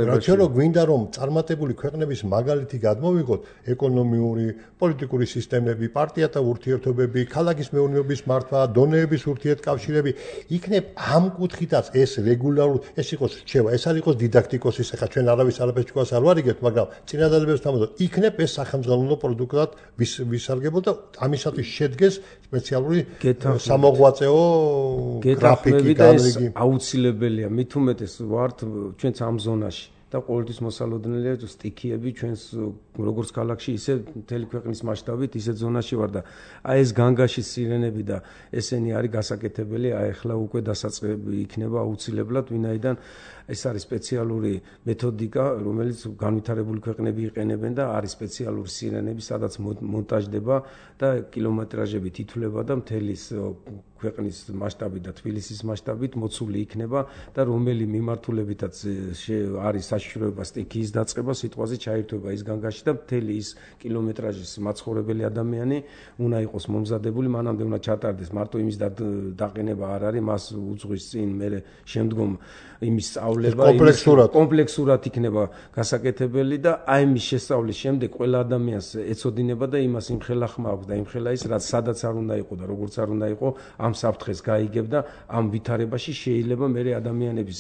რაც რო გვინდა რომ წარმატებული ქვეყნების მაგალითი გადმოვიღოთ ეკონომიური პოლიტიკური სისტემები პარტიათა ურთიერთობები ქალაქის მეურნეობის მართვა დონეების ურთიერთკავშირები იქნებ ამ კუთხითაც ეს რეგულარულ ეს იყოს რჩევა ეს არ იყოს დიდაქტიკოსის ახლა ჩვენ არავის არაფერს თქვას არ ვარიგებთ მაგრამ წინადადებებს თამაშობ იქნებ ეს სახელმძღვანელო პროდუქტად ვისარგებლო და ამისათვის შედგეს სპეციალური მოღვაწეო გრაფიკი განრიგი აუცილებელია მით უმეტეს ვართ ჩვენც ამ ზონაში და ყოველთვის მოსალოდნელია სტიქიები ჩვენს როგორც ქალაქში ისე მთელი ქვეყნის მასშტაბით ისე ზონაში ვარ და აი ეს განგაში სირენები და ესენი არის გასაკეთებელი აი ახლა უკვე დასაწყები იქნება აუცილებლად ვინაიდან ეს არის სპეციალური მეთოდიკა რომელიც განვითარებული ქვეყნები იყენებენ და არის სპეციალური სირენები სადაც მონტაჟდება და კილომეტრაჟებით ითვლება და მთელი ქვეყნის მასშტაბით და თბილისის მასშტაბით მოცული იქნება და რომელი მიმართულებითაც არის საშიშროება სტიქიის დაწყება სიტყვაზე ჩაირთვება ის განგაში და მთელი ის კილომეტრაჟის მაცხოვრებელი ადამიანი უნდა იყოს მომზადებული მანამდე უნდა ჩატარდეს მარტო იმის დაყენება არ არის მას უძღვის წინ მე შემდგომ იმის სწავლება კომპლექსურად კომპლექსურად იქნება გასაკეთებელი და აი მის შესწავლის შემდეგ ყველა ადამიანს ეცოდინება და იმას იმხელახმა აქვს და იმხელა ის რაც სადაც არ უნდა იყო და როგორც არ უნდა იყო ამ საფრთხეს გაიგებ და ამ ვითარებაში შეიძლება მე ადამიანების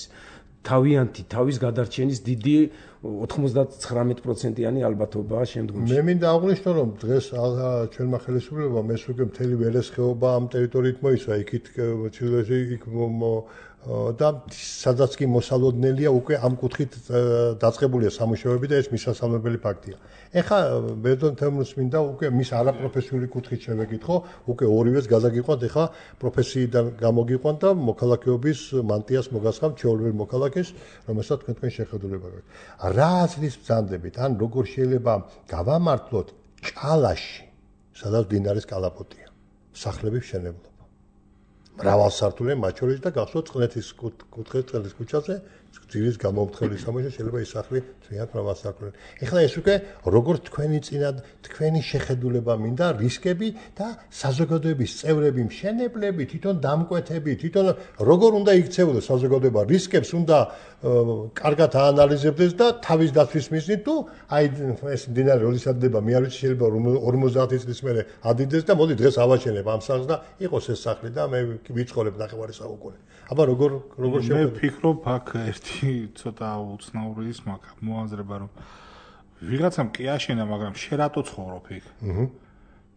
თავიანთი თავის გადარჩენის დიდი ოცდათხმეტ პროცენტიანი ალბათობაა შემდგომში. მე მინდა აღვნიშნო რომ დღეს ჩვენმა ხელისუფლებამ ეს უკვე მთელი ველესხეობა ამ ტერიტორიით მოისვა იქით ჩილეში იქ და სადაც კი მოსალოდნელია უკვე ამ კუთხით დაწყებულია სამუშაოები და ეს მისასალმებელი ფაქტია. ეხლა ბედონ თემურს მინდა უკვე მის არაპროფესიული კუთხით შევეკითხო, უკვე ორივეს გადაგიყვანთ, ეხლა პროფესიიდან გამოგიყვანთ და მოქალაქეობის მანტიას მოგასხამთ ჩვეულებრივ მოქალაქეს, რომელსაც თქვენ თქვენ შეხედულება გაქვთ. რა აზრის ბრძანდებით, ან როგორ შეიძლება გავამართლოთ ჭალაში, სადაც დინარის კალაპოტია, სახლების მშენებლობა. მრავალსართულიანი მათ შორის და გახსოვთ წყლეთის კუთხეს წყლის ქუჩაზე ძირის გამომთხელი სამუშაო შეიძლება ის სახლი ძალიან მრავალსართულიანი. ეხლა ეს უკვე როგორც თქვენი წინა თქვენი შეხედულება მინდა რისკები და საზოგადოების წევრები მშენებლები თვითონ დამკვეთები თვითონ როგორ უნდა იქცეულოს საზოგადოება რისკებს უნდა კარგად აანალიზებდეს და თავის დაცვის მიზნით თუ აი ეს დინარი როდესაც დება მე არ ვიცი შეიძლება ორმოცდაათი წლის მერე ადიდეს და მოდი დღეს ავაჩენებ ამ სახლს და იყოს ეს სახლი და მე ვიცხოვრებ ნახევარი საუკუნე. აბა როგორ როგორ შევხედე? მე ვფიქრობ აქ ერთი ცოტა უცნაური ის მაგ მოაზრება რომ ვიღაცამ კი აშენა, მაგრამ შე რატო ცხოვრობ იქ? აჰა.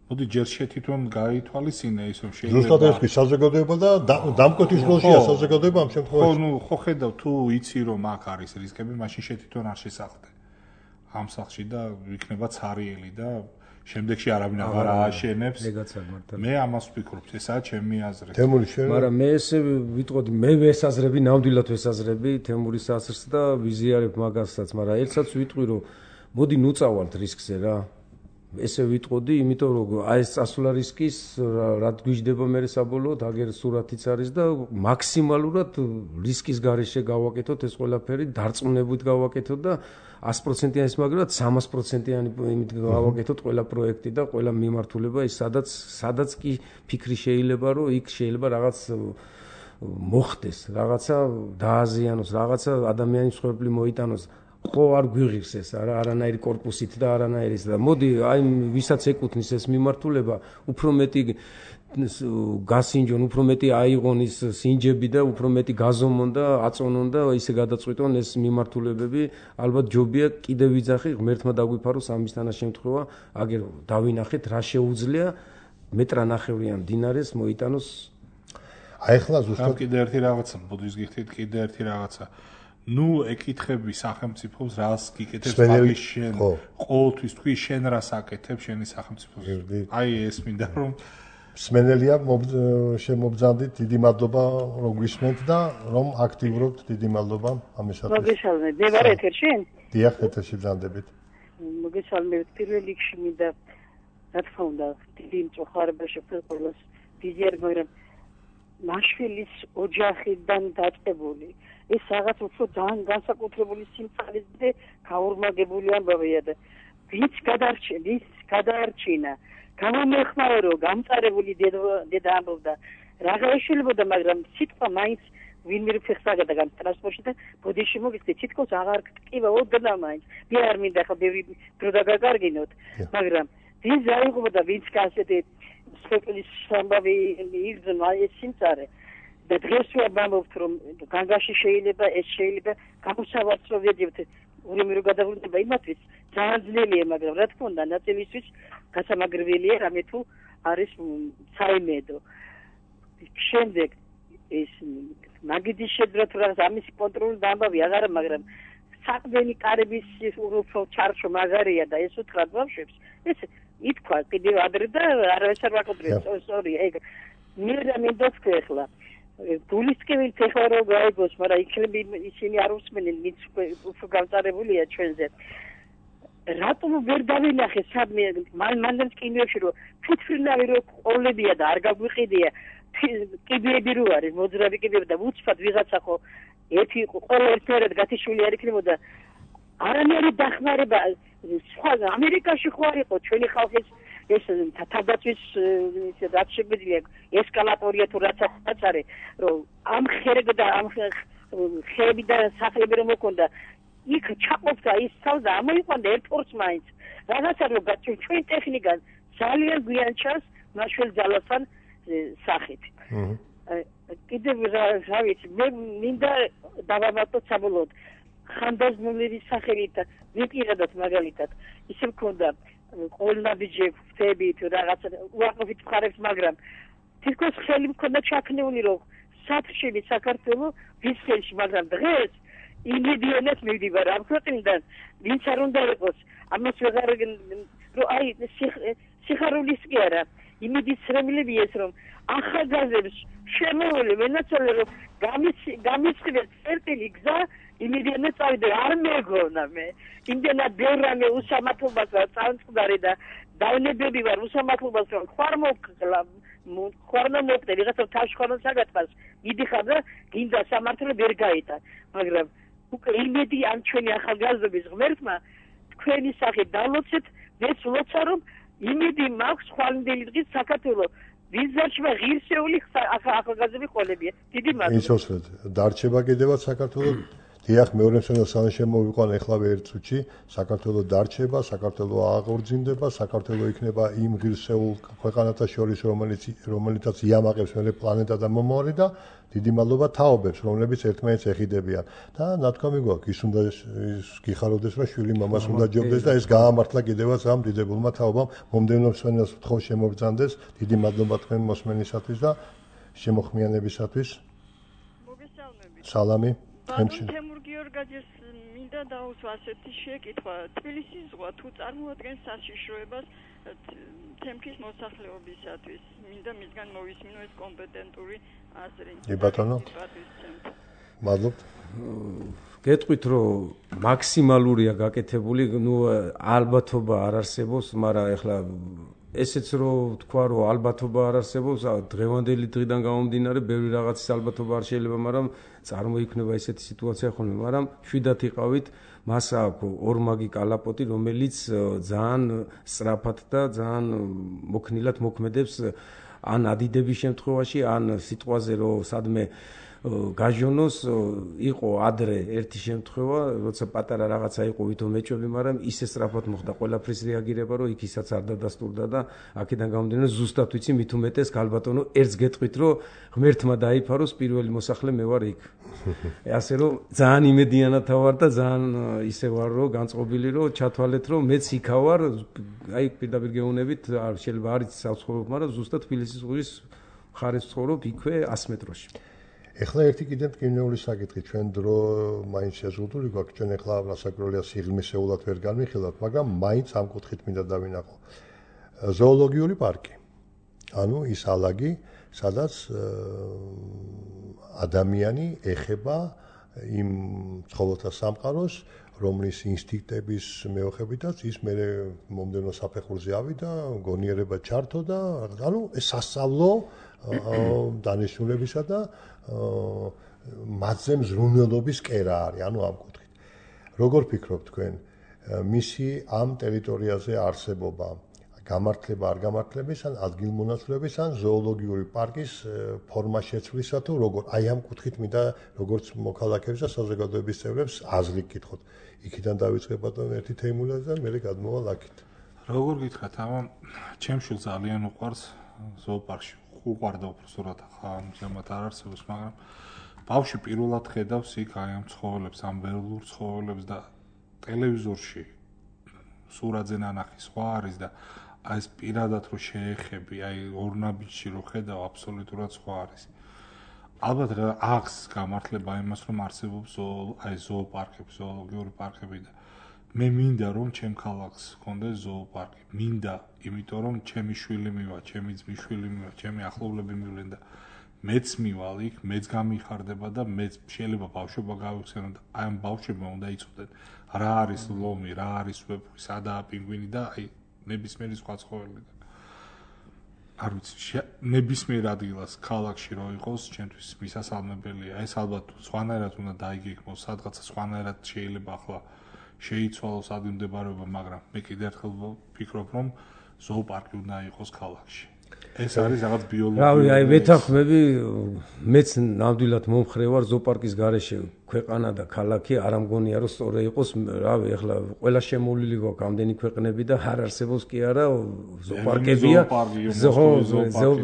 მოდი ჯერ შე თვითონ გაითვალისწინე ის რომ შეიძლება. ზუსტად ეს კი საზოგადოება და დამკვეთის როლშია საზოგადოება ამ შემთხვევაში. ხო, ნუ ხო ხედავ თუ იცი რომ აქ არის რისკები, მაშინ შე თვითონ არ შესახლდე. ამ სახლში და იქნება ცარიელი და შემდეგში არავინ აღარ ააშენებს. მე ამას ვფიქრობ, ესაა ჩემი აზრი. თემური შენ. მაგრამ მე ესე ვიტყოდი, მე ვესაზრები, ნამდვილად ვესაზრები თემურის აზრს და ვიზიარებ მაგასაც, მაგრამ ერთსაც ვიტყვი, რომ მოდი ნუწავალთ რისკზე რა. ესე ვიტყოდი, იმიტომ რომ აი ეს წასვლა რისკის რა გვიждდება მე საბოლოოდ, აგერ სურათიც არის და მაქსიმალურად რისკის გარეშე გავაკეთოთ ეს ყველაფერი, დარწმუნებით გავაკეთოთ და ას პროცენტიანი მაგრამ სამას პროცენტიანი იმით გავაკეთოთ ყველა პროექტი და ყველა მიმართულება ის სადაც სადაც კი ფიქრი შეიძლება რომ იქ შეიძლება რაღაც მოხდეს, რაღაცა დააზიანოს, რაღაცა ადამიანის ცხოვრება მოიტანოს. ხო არ გვიღირს ეს არა არანაირი корпуსით და არანაირის და მოდი აი ვისაც ეკუთვნის ეს მიმართულება უფრო მეტი გასინჯონ, უფრო მეტი აიღონ ის სინჯები და უფრო მეტი გაზომონ და აწონონ და ისე გადაწყვიტონ ეს მიმართულებები ალბათ ჯობია კიდევ ვიძახი ღმერთმა დაგვიფაროს ამის თანაშემთხვევა აგერ დავინახეთ რა შეუძლია მეტრანახევრიან დინარეს მოიტანოს აი ხლა ზუსტად კიდე ერთი რაღაცა ბუდის გიხდით კიდე ერთი რაღაცა ნუ ეკითხები სახელმწიფოს რას გიკეთებს მაგის შენ ყოველთვის თქვი შენ რას აკეთებ შენი სახელმწიფოს აი ეს მინდა რომ სმენელია შემობძანდით დიდი მადლობა რომ გვისმენთ და რომ აქტიურობთ დიდი მადლობა ამისათვის მოგესალმებით მე ვარ ეთერში დიახ ეთერში ბრძანდებით მოგესალმებით პირველ რიგში მინდა რა თქმა უნდა დიდი მწუხარება შეფერყოლოს ვიზიარ მაგრამ მაშვილის ოჯახიდან დაწყებული ეს რაღაც უფრო ძალიან განსაკუთრებული სიმწარეზე გაორმაგებული ამბავია და ვინც გადარჩენ ვის გადაარჩინა გამომეხმარო გამწარებული დედა ამბობდა რაღა ეშელებოდა მაგრამ სიტყვა მაინც ვინმე ფეხსაგდა გამ ტრანსპორტში და ბოდიში მოგიწე თითქოს აღარ გტკივა ოდნა მაინც მე არ მინდა ხო ბევრი დრო დაგაგარგინოთ მაგრამ ვინც აიღობდა ვინც გასეთე სპეციალის სამბავი იგზნო ეს სიმწარე და დღეს ვაბამობთ რომ განგაში შეიძლება ეს შეიძლება გამოსავალს რომ ვეძებთ ურემი რო გადავრდება იმათვის ძალიან ძნელია მაგრამ რა თქმა უნდა ნაწილისთვის გასამაგრებელია რამე თუ არის საიმედო შემდეგ ეს მაგიდის შეძრა თუ რაღაც ამის კონტროლი დამბავი აღარა მაგრამ საყდენი კარების უფრო ჩარჩო მაგარია და ეს უთხრა ბავშვებს ეს ითქვა კიდევ ადრე და არავის არ ვაკონტროლებს სორი ეგ მე რამინდა თქვა გულისკევი ფეხარო გაიგოს, მაგრამ იქნები ისინი არ უსმენენ, ვინც უფრო გამწარებულია ჩვენზე. რატომ ვერ დავინახე სადმე მანდანს კინოებში რომ ფითფრინავი რო ყოლებია და არ გაგვიყიდია, კიბეები რო არის, მოძრავი კიბეები და უცბად ვიღაცა ხო ერთი ყოლა ერთად გათიშვილი არ იქნებოდა. არანაირი დახმარება სხვა ამერიკაში ხო არ იყო ჩვენი ხალხის ეს თავდაცვის ისე რაც შეგვიძლია ესკალატორია თუ რაც არის რომ ამ ხერგ და ამ ხები და სახლები რომ მოკონდა იქ ჩაყოფდა ის თავდა ამოიყვანდა ერთპორს მაინც რაღაცა რომ ჩვენ ტექნიკა ძალიან გვიან ჩანს მაშველს ძალასთან სახით კიდევ რა ვიცი მე მინდა დავამატოთ საბოლოოდ ხანდაზმულების სახელით ვიპირადოთ მაგალითად ისე მქონდა ყოლნაბიჯე ფთები თუ რაღაცა უარყოფით მხარებს მაგრამ თითქოს ხელი მქონდა ჩაქნეული რომ სათხშილი საქართველოს ვის ხელში მაგრამ დღეს იმედიანად მივდივარ ამ ქვეყნიდან ვინც არ უნდა იყოს ამას ვეღარ რომ აი სიხარულის კი არა იმედის რემლები ეს რომ ახალგაზრდებს შემოვლე ვენაცვალე რომ გამისხივეს წერტილი გზა იმედიანად წავიდე არ მეგონა მე იმდენად ბევრ რამე უსამართლობას წამწყდარი და დავნებები ვარ უსამართლობას რომ ხარ მოკლა ხარ მომწე ვიღაცა თავში ხარ საგატყას მიდიხარ და გინდა სამართლე ვერ გაიტან მაგრამ უკვე იმედი ამ ჩვენი ახალგაზრდების ღმერთმა თქვენი სახით დალოცეთ მეც ვლოცა რომ იმედი მაქვს ხვალინდელი დღის საქართველოს ვიზარჩება ღირსეული ახალგაზრდები ყოლებია დიდი მადლობა ისოსეთ დარჩება კიდევაც საქართველოს დიახ მეორე მსოფლიო ომის შემოვიყვან ეხლავე ერთ წუთში საქართველოს დარჩება საქართველოს აღორძინდება საქართველოს იქნება იმ ღირსეულ ქვეყანათა შორის რომელიც რომელიცაც იამაყებს მერე პლანეტა და მომავალი და დიდი მადლობა თაობებს რომლებიც ერთმანეთს ეხიდებიან და ნათქვამი გვაქვს ის უნდა გიხაროდეს რომ შვილი მამას უნდა ჯობდეს და ეს გაამართლა კიდევაც ამ დიდებულმა თაობამ მომდევნო მსოფლიოს თხოვ შემოგძანდეს დიდი მადლობა თქვენ მოსმენისათვის და შემოხმიანებისათვის მოგესალმებით სალამი თემურ გიორგი ჯორგაძეს მინდა დაუსვა ასეთი შეკითხვა. თბილისის ზღვა თუ წარმოადგენს საშიშროებას თემქის მოსახლეობისათვის, მინდა მისგან მოვისმინო ეს კომპეტენტური აზრი. კი ბატონო. მადლობთ. გეტყვით რომ მაქსიმალურია გაკეთებული, ნუ ალბათობა არ არსებობს, მაგრამ ეხლა ესეც რომ თქვა რომ ალბათობა არ არსებობს, დღევანდელი დღიდან გამომდინარე ბევრი რაღაცის ალბათობა არ შეიძლება, მაგრამ წარმოიქმნება ესეთი სიტუაცია ხოლმე, მაგრამ შვიდათ იყავით, მას აქვს ორმაგი კალაპოტი, რომელიც ძალიან სწრაფად და ძალიან მოქნილად მოქმედებს ან ადიდების შემთხვევაში, ან სიტყვაზე რომ სადმე გაჟონოს იყო ადრე ერთი შემთხვევა, როცა პატარა რაღაცა იყო ვითომ მეჭვები, მაგრამ ისე სწრაფად მოხდა ყველაფრის რეაგირება, რომ იქისაც არ დადასტურდა და აქედან გამომდინარე ზუსტად ვიცი მით უმეტეს გალბატონო ერთს გეტყვით, რომ ღმერთმა დაიფაროს პირველი მოსახლე მე ვარ იქ. ასე რომ ძალიან იმედიანად ვარ და ძალიან ისე ვარ, რომ განწყობილი რომ ჩათვალეთ, რომ მეც იქა ვარ, აი პირდაპირ გეუბნებით, შეიძლება არ იცი საცხოვრებ, მაგრამ ზუსტად თბილისის ზღვის მხარეს ცხოვრობ იქვე ას მეტროში. ეხლა ერთი კიდე მტკივნეული საკითხი, ჩვენ დრო მაინც შეზღუდული გვაქვს, ჩვენ ეხლა რასაკვირველია სიღრმისეულად ვერ განვიხილავთ, მაგრამ მაინც ამ კუთხით მინდა დავინახო. ზოოლოგიური პარკი. ანუ ის ალაგი, სადაც ადამიანი ეხება იმ ცხოველთა სამყაროს, რომლის ინსტინქტების მეოხებითაც ის მე მომდენო საფეხურზე ავიდა, გონიერება ჩართო და ანუ ეს სასწავლო დანიშნულებისა და მათზე მზრუნველობის კერა არის, ანუ ამ კუთხით. როგორ ფიქრობთ თქვენ, მისი ამ ტერიტორიაზე არსებობა, გამართლება არ გამართლების, ან ადგილმონაცვლეობის, ან ზოოლოგიური პარკის ფორმა შეცვლისა თუ როგორ? აი ამ კუთხით მინდა როგორც მოქალაქეებს და საზოგადოების წევრებს აზრი გკითხოთ. იქიდან დავიწყებ ბატონო ერთი თეიმულაძე და მე გადმოვალ აქეთ. როგორ გითხრათ, ამა ჩემ შვილს ძალიან უყვარს ზოოპარკში. უყვარდა უბრალოდ ახლა ამჟამად არ არსებობს, მაგრამ ბავშვი პირველად ხედავს იქ აი ამ ცხოველებს, ამ ველურ ცხოველებს და ტელევიზორში სურათზე ნანახი სხვა არის და აი ეს პირადად რო შეეხები, აი ორნაბიჯში რო ხედავ, აბსოლუტურად სხვა არის. ალბათ აქვს გამართლება იმას, რომ არსებობს აი ზოოპარკები, ზოოლოგიური პარკები და მე მინდა რომ ჩემ ქალაქს ჰქონდეს ზოოპარკი. მინდა, იმიტომ რომ ჩემი შვილი მივა, ჩემი ძმის შვილი მივა, ჩემი ახლობლები მივლენ და მეც მივალ იქ, მეც გამიხარდება და მეც შეიძლება ბავშვობა გავიხსენო და აი ამ ბავშვებმა უნდა იცოდნენ რა არის ლომი, რა არის ვეფხვი, სადაა პინგვინი და აი ნებისმიერი სხვა ცხოველი და არ ვიცი, ნებისმიერ ადგილას ქალაქში რო იყოს, ჩემთვის მისასალმებელია. ეს ალბათ სხვანაირად უნდა დაიგეგმოს, სადღაცა სხვანაირად შეიძლება ახლა შეიცვალოს ადგილმდებარეობა, მაგრამ მე კიდევ ერთხელ ვფიქრობ, რომ ზოოპარკი უნდა იყოს ქალაქში. ეს არის რაღაც ბიოლოგიური. რავი, აი ვეთანხმები, მეც ნამდვილად მომხრე ვარ ზოოპარკის გარეშე ქვეყანა და ქალაქი, არ ამგონია რომ სწორე იყოს, რავი, ეხლა ყველა შემოვლილი გვაქვს ამდენი ქვეყნები და არ არსებობს კი არა ზოოპარკებია.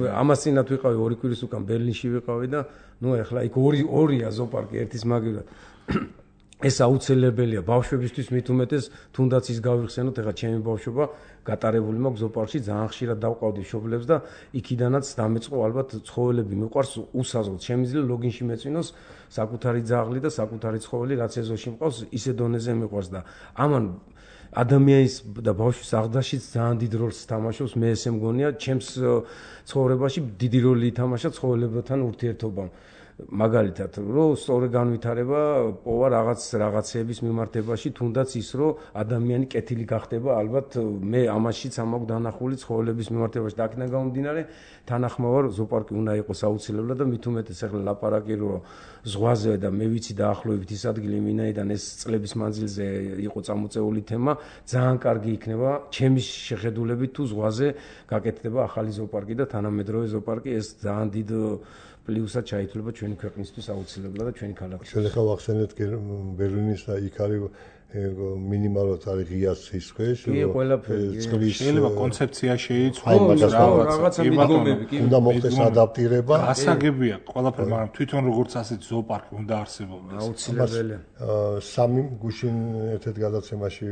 ამასინათ ვიყავი ორი კვირის უკან ბერლინში ვიყავი და ნუ ეხლა იქ ორი ორია ზოოპარკი, ერთის მაგივრად. ეს აუცილებელია ბავშვებისთვის მით უმეტეს, თუნდაც ის გავიხსენოთ, ეხლა ჩემი ბავშვობა გატარებული მაქვს ზოოპარკში, ძალიან ხშირად დავყავდი მშობლებს და იქიდანაც დამეწყო ალბათ ცხოველები მიყვარს უსაზღვროდ. შემიძლია ლოგინში მეწვინოს საკუთარი ძაღლი და საკუთარი ცხოველი, რაც ეზოში მყავს, ისე დონეზე მიყვარს და ამან ადამიანის და ბავშვის აღდაშიც ძალიან დიდ როლს თამაშობს, მე ესე მგონია, ჩემს ცხოვრებაში დიდი როლი ითამაშა ცხოველებთან ურთიერთობამ. მაგალითად, რომ სწორი განვითარება პოვა რაღაც რაღაცეების მიმართებაში, თუნდაც ის, რომ ადამიანი კეთილი გახდება, ალბათ მე ამაშიც ამაქვს დანახული ცხოველების მიმართებაში და აქედან გამომდინარე, თანახმოვარ ზოოპარკი უნდა იყოს აუცილებლად და მით უმეტეს ახლა ლაპარაკი რომ ზღვაზე და მე ვიცი დაახლოებით ის ადგილი მინაიდან ეს წლების მანძილზე იყო წამოწეული თემა, ძალიან კარგი იქნება ჩემი შეხედულებით თუ ზღვაზე გაკეთდება ახალი ზოოპარკი და თანამედროვე ზოოპარკი, ეს ძალიან დიდ პლუსად ჩაითვლება ჩვენი ქვეყნისთვის აუცილებლად და ჩვენი ქალაქისთვის. ჩვენ ახლა ვახსენეთ ბერლინის და იქ არის მინიმალურად არის ღია სისხლის, წყლის შეიძლება კონცეფცია შეიცვალოს რაღაცა მიდგომები კი უნდა მოხდეს ადაპტირება. გასაგებია ყველაფერი, მაგრამ თვითონ როგორც ასეთი ზოოპარკი უნდა არსებობდეს. აუცილებელია. სამი გუშინ ერთ-ერთ გადაცემაში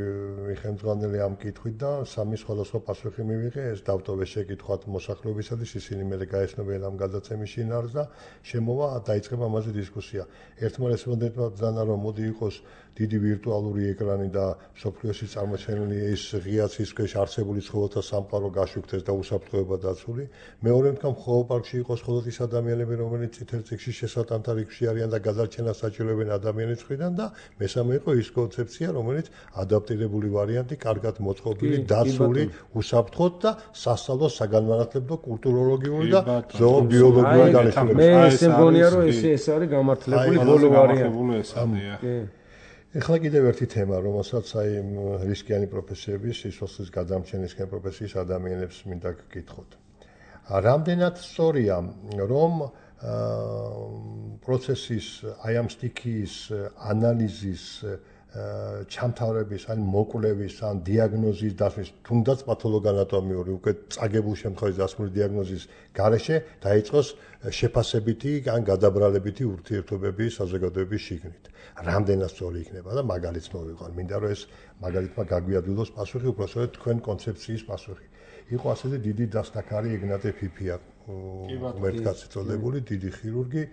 ხელმძღვანელი ამ კითხვით და სამი სხვადასხვა პასუხი მივიღე, ეს დავტოვეს შეკითხვათ მოსახლეობისათვის, ისინი მე გაეცნობიან ამ გადაცემის შინაარსს და შემოვა დაიწყება ამაზე დისკუსია. ერთმა რესპონდენტმა ბრძანა რომ მოდი იყოს დიდი ვირტუალური ეკრანი და სოფლიოში წარმოჩენილი ეს ღია სისხლის არსებული ცხოველთა სამყარო გაშვიქდეს და უსაფრთხოება დაცული. მეორე თქვა მხოლოდ პარკში იყოს მხოლოდ ის ადამიანები, რომელიც წითელ წიგნში შესატანთა რიგში არიან და გადარჩენას საჭიროებენ ადამიანის მხრიდან და მესამე იყო ის კონცეფცია, რომელიც ადაპტირებული ვარიანტი, კარგად მოწყობილი, დაცული, უსაფრთხოდ და სასწავლო, საგანმანათლებლო, კულტუროლოგიური და ზოობიოლოგიური განხილვები. მე ესე მგონია რომ ეს ეს არის გამართლებული ბოლო ვარიანტი. ეხლა კიდევ ერთი თემა, რომელსაც აი რისკიანი პროფესიების, სიცოცხლის გადამჩენისკენ პროფესიის ადამიანებს მინდა გკითხოთ. რამდენად სწორია, რომ პროცესის აი ამ სტიქიის ანალიზის ჩამთავრების, ან მოკვლევის, ან დიაგნოზის დასმის, თუნდაც პათოლოგანატომიური, უკვე წაგებულ შემთხვევაში დასმული დიაგნოზის გარეშე დაიწყოს შეფასებითი ან გადაბრალებითი ურთიერთობები საზოგადოების შიგნით. რამდენად სწორი იქნება და მაგალითს მოვიყვან. მინდა რომ ეს მაგალითმა გაგვიადვილოს პასუხი, უბრალოდ თქვენ კონცეფციის პასუხი. იყო ასეთი დიდი დასტაქარი ეგნატე ფიფია, მერტკაცი წოდებული, დიდი ხირურგი,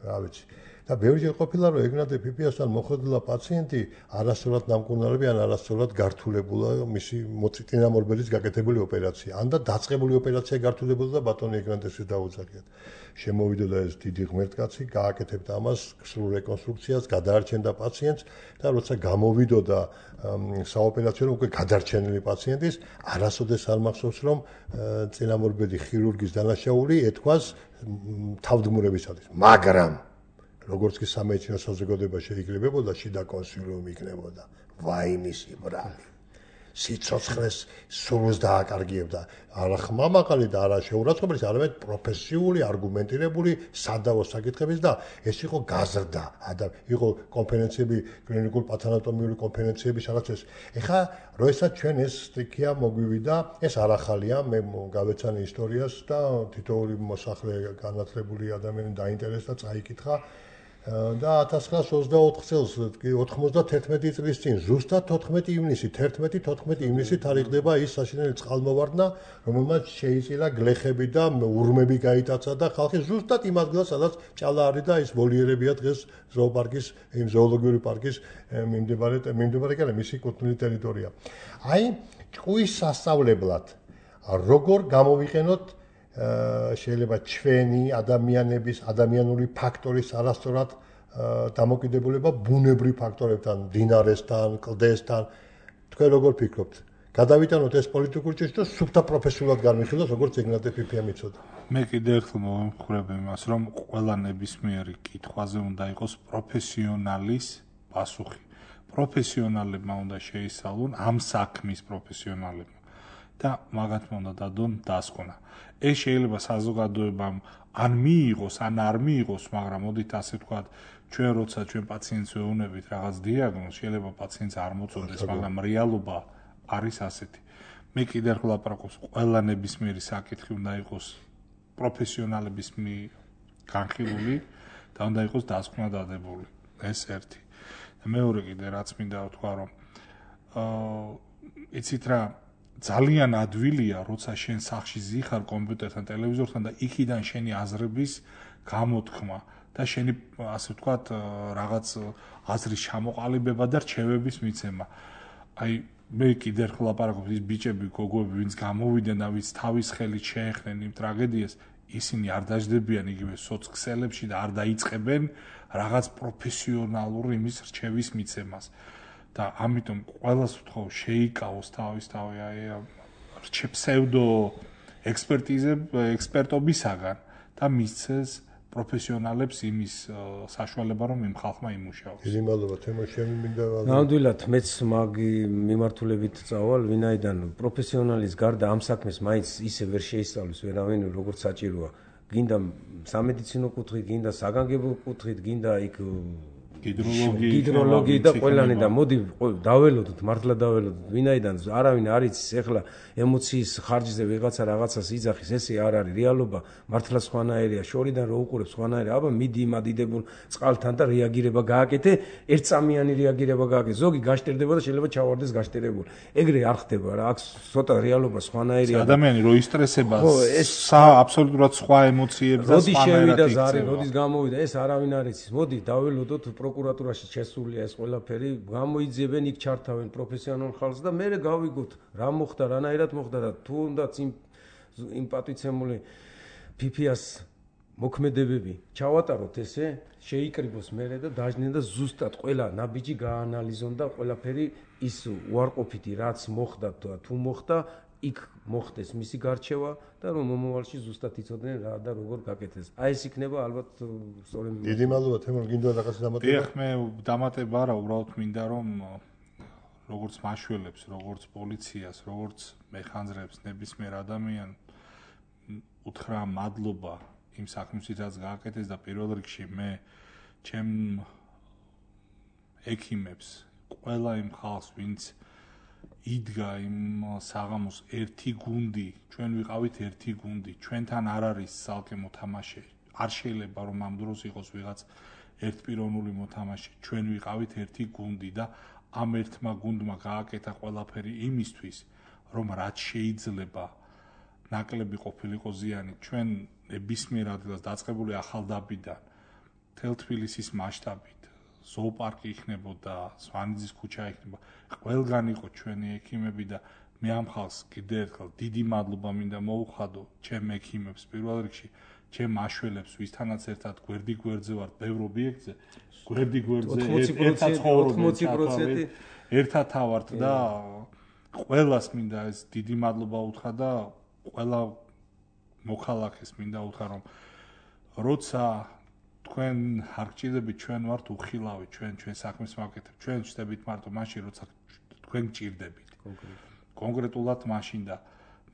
რა ვიცი. და ბევრჯერ ყოფილა რომ ეგნატე ფიფიასთან მოხვედრილა პაციენტი არასწორად დამკურნალები ან არასწორად გართულებულა მისი მოწინააღმდეგობის გაკეთებული ოპერაცია. ან და დაწყებული ოპერაცია გართულებულა და ბატონი ეგნატესის დაუძახიათ. შემოვიდოდა ეს დიდი ღმერთკაცი, გააკეთებდა ამას სრულ რეკონსტრუქციას, გადაარჩენდა პაციენტს და როცა გამოვიდოდა საოპერაციო უკვე გადარჩენილი პაციენტის, არასოდეს არ მახსოვს რომ წინამორბედი ხირურგის დანაშაული ეთქვას თავდგმურებისათვის. მაგრამ როგორც კი სამედიცინო საზოგადოება შეიკრიბებოდა, შიდა კონსილიუმი იქნებოდა. ვაი მისი ბრალი. სიცოცხლეს სულს დააკარგიებდა. არა ხმამაღალი და არა შეურაცხყოფელი, არამედ პროფესიული, არგუმენტირებული სადავო საკითხების და ეს იყო გაზრდა. იყო კონფერენციები, კლინიკური პათანატომიური კონფერენციები, სადაც ეს. ეხლა როდესაც ჩვენ ეს სტიქია მოგვივიდა, ეს არ ახალია, მე გავეცანი ისტორიას და თითოეული მოსახლე განათლებული ადამიანი დაინტერესდა, წაიკითხა. და ათას ცხრაასი ოცდაოთხ წელს ოთხმოცდათერთმეტი წლის წინ ზუსტად თოთხმეტი ივნისი თერთმეტი თოთხმეტი ივნისი თარიღდება ის საშინელი წყალმოვარდნა რომელმაც შეიწირა გლეხები და ურმები გაიტაცა და ხალხი ზუსტად იმ ადგილას სადაც ჭალა არის და ის ვოლიერებია დღეს ზოოპარკის იმ ზოოლოგიური პარკის მიმდებარე მიმდებარე კი არა მისი კუთვნილი ტერიტორია აი ჭკუის სასწავლებლად როგორ გამოვიყენოთ შეიძლება ჩვენი ადამიანების ადამიანური ფაქტორის არასწორად დამოკიდებულება ბუნებრივ ფაქტორებთან, დინარესთან, კლდესთან. თქვენ როგორ ფიქრობთ? გადავიტანოთ ეს პოლიტიკური ჭრიჭ და სუფთა პროფესიულად განვიხილოთ, როგორც ეგნატე ფიფია მიცოდა. მე კიდევ ერთხელ მოვემხრებ იმას, რომ ყველა ნებისმიერი კითხვაზე უნდა იყოს პროფესიონალის პასუხი. პროფესიონალებმა უნდა შეისწავლონ ამ საქმის პროფესიონალებმა. და მაგათმა უნდა დადონ დასკვნა. ეს შეიძლება საზოგადოებამ ან მიიღოს, ან არ მიიღოს, მაგრამ მოდით ასე ვთქვათ, ჩვენ როცა ჩვენ პაციენტს ვეუბნებით რაღაც დიაგნოზს, შეიძლება პაციენტს არ მოწონდეს, მაგრამ რეალობა არის ასეთი. მე კიდევ ერთხელ აპარაკობს, ყველა ნებისმიერი საკითხი უნდა იყოს პროფესიონალების განხილული და უნდა იყოს დასკვნა დადებული. ეს ერთი. და მეორე კიდე რაც მინდა ვთქვა, რომ აა იცით რა ძალიან ადვილია, როცა შენ სახში ზიხარ კომპიუტერთან, ტელევიზორთან და იქიდან შენი აზრების გამოთქმა და შენი ასე ვთქვათ, რაღაც აზრის ჩამოყალიბება და რჩევების მიცემა. აი მე კიდევ ერთხელ აპარაკობ ის ბიჭები, გოგოები, ვინც გამოვიდნენ და ვინც თავის ხელით შეეხნენ იმ ტრაგედიას, ისინი არ დაждდებიან იგივე სოციქსელებში და არ დაიწყებენ რაღაც პროფესიონალური იმის რჩევის მიცემას. და ამიტომ ყველას ვთხოვ შეიკავოს თავის თავი აი რჩე ფსევდო ექსპერტიზე ექსპერტობისაგან და მისცეს პროფესიონალებს იმის საშუალება რომ იმ ხალხმა იმუშაოს. დიდი მადლობა თემა შემიმინდა. ნამდვილად მეც მაგი მიმართულებით წავალ, ვინაიდან პროფესიონალის გარდა ამ საქმეს მაინც ისე ვერ შეისწავლის ვერავინ როგორც საჭიროა. გინდა სამედიცინო კუთხით, გინდა საგანგებო კუთხით, გინდა იქ ჰიდროლოგი ჰიდროლოგი და ყველანი და მოდი დაველოდოთ მართლა დაველოდოთ ვინაიდან არავინ არ იცის ეხლა ემოციის ხარჯზე ვიღაცა რაღაცას იძახის ესე არ არის რეალობა მართლა სხვანაირია შორიდან რო უყურებს სხვანაირია აბა მიდი იმ ადიდებულ წყალთან და რეაგირება გააკეთე ერთწამიანი რეაგირება გააკეთე ზოგი გაშტერდება და შეიძლება ჩავარდეს გაშტერებული ეგრე არ ხდება რა აქ ცოტა რეალობა სხვანაირია ადამიანი რო ისტრესება აბსოლუტურად სხვა ემოციებს და სხვანაირად იქცევა როდის შევიდა ზარი როდის გამოვიდა ეს არავინ არ იცის მოდი დაველოდოთ პროკურატურაში შესულია ეს ყველაფერი გამოიძიებენ იქ ჩართავენ პროფესიონალ ხალხს და მე გავიგოთ რა მოხდა რანაირად მოხდა და თუნდაც იმ იმ პატიცემული ფიფიას მოქმედებები ჩავატაროთ ესე შეიკრიბოს მერე და დაждნენ და ზუსტად ყველა ნაბიჯი გაანალიზონ და ყველაფერი ის უარყოფითი რაც მოხდა თუ მოხდა იქ მოხდეს მისი გარჩევა და რომ მომავალში ზუსტად იცოდნენ რა და როგორ გაკეთეს. აი ეს იქნება ალბათ სწორედ დიდი მადლობა თემურ გინდა რაღაც დამატება. ეხ მე დამატება არა უბრალოდ მინდა რომ როგორც მაშველებს, როგორც პოლიციას, როგორც მეხანძრებს ნებისმიერ ადამიანს უთხრა მადლობა იმ საქმისთვის რაც გააკეთეს და პირველ რიგში მე ჩემ ექიმებს ყველა იმ ხალხს ვინც იდგა იმ საღამოს ერთი გუნდი, ჩვენ ვიყავით ერთი გუნდი, ჩვენთან არ არის ძალკე მოთამაშე. არ შეიძლება რომ ამ დროს იყოს ვიღაც ერთპიროვნული მოთამაშე. ჩვენ ვიყავით ერთი გუნდი და ამ ერთმა გუნდმა გააკეთა ყველაფერი იმისთვის, რომ რაც შეიძლება ნაკლები ყოფილიყო ზიანი. ჩვენ ნებისმიერ ადგილას დაწყებული ახალდაბიდან მთელ თბილისის მასშტაბით ზოოპარკი იქნებოდა, სვანიძის ქუჩა იქნება. ყველგან იყო ჩვენი ექიმები და მე ამ ხალხს კიდევ ერთხელ დიდი მადლობა მინდა მოუხადო ჩემ ექიმებს პირველ რიგში, ჩემ მაშველებს, ვისთანაც ერთად გვერდი გვერდზე ვართ ბევრ ობიექტზე, გვერდი გვერდზე ერთად ცხოვრობენ, ერთად ავართ და ყველას მინდა ეს დიდი მადლობა უთხრა და ყველა მოქალაქეს მინდა უთხრა რომ როცა თქვენ არ გჭირდებით ჩვენ ვართ უხილავი ჩვენ ჩვენ საქმეს ვაკეთებ ჩვენ ვშტებით მარტო მაშინ როცა თქვენ გჭირდებით კონკრეტულად მაშინ და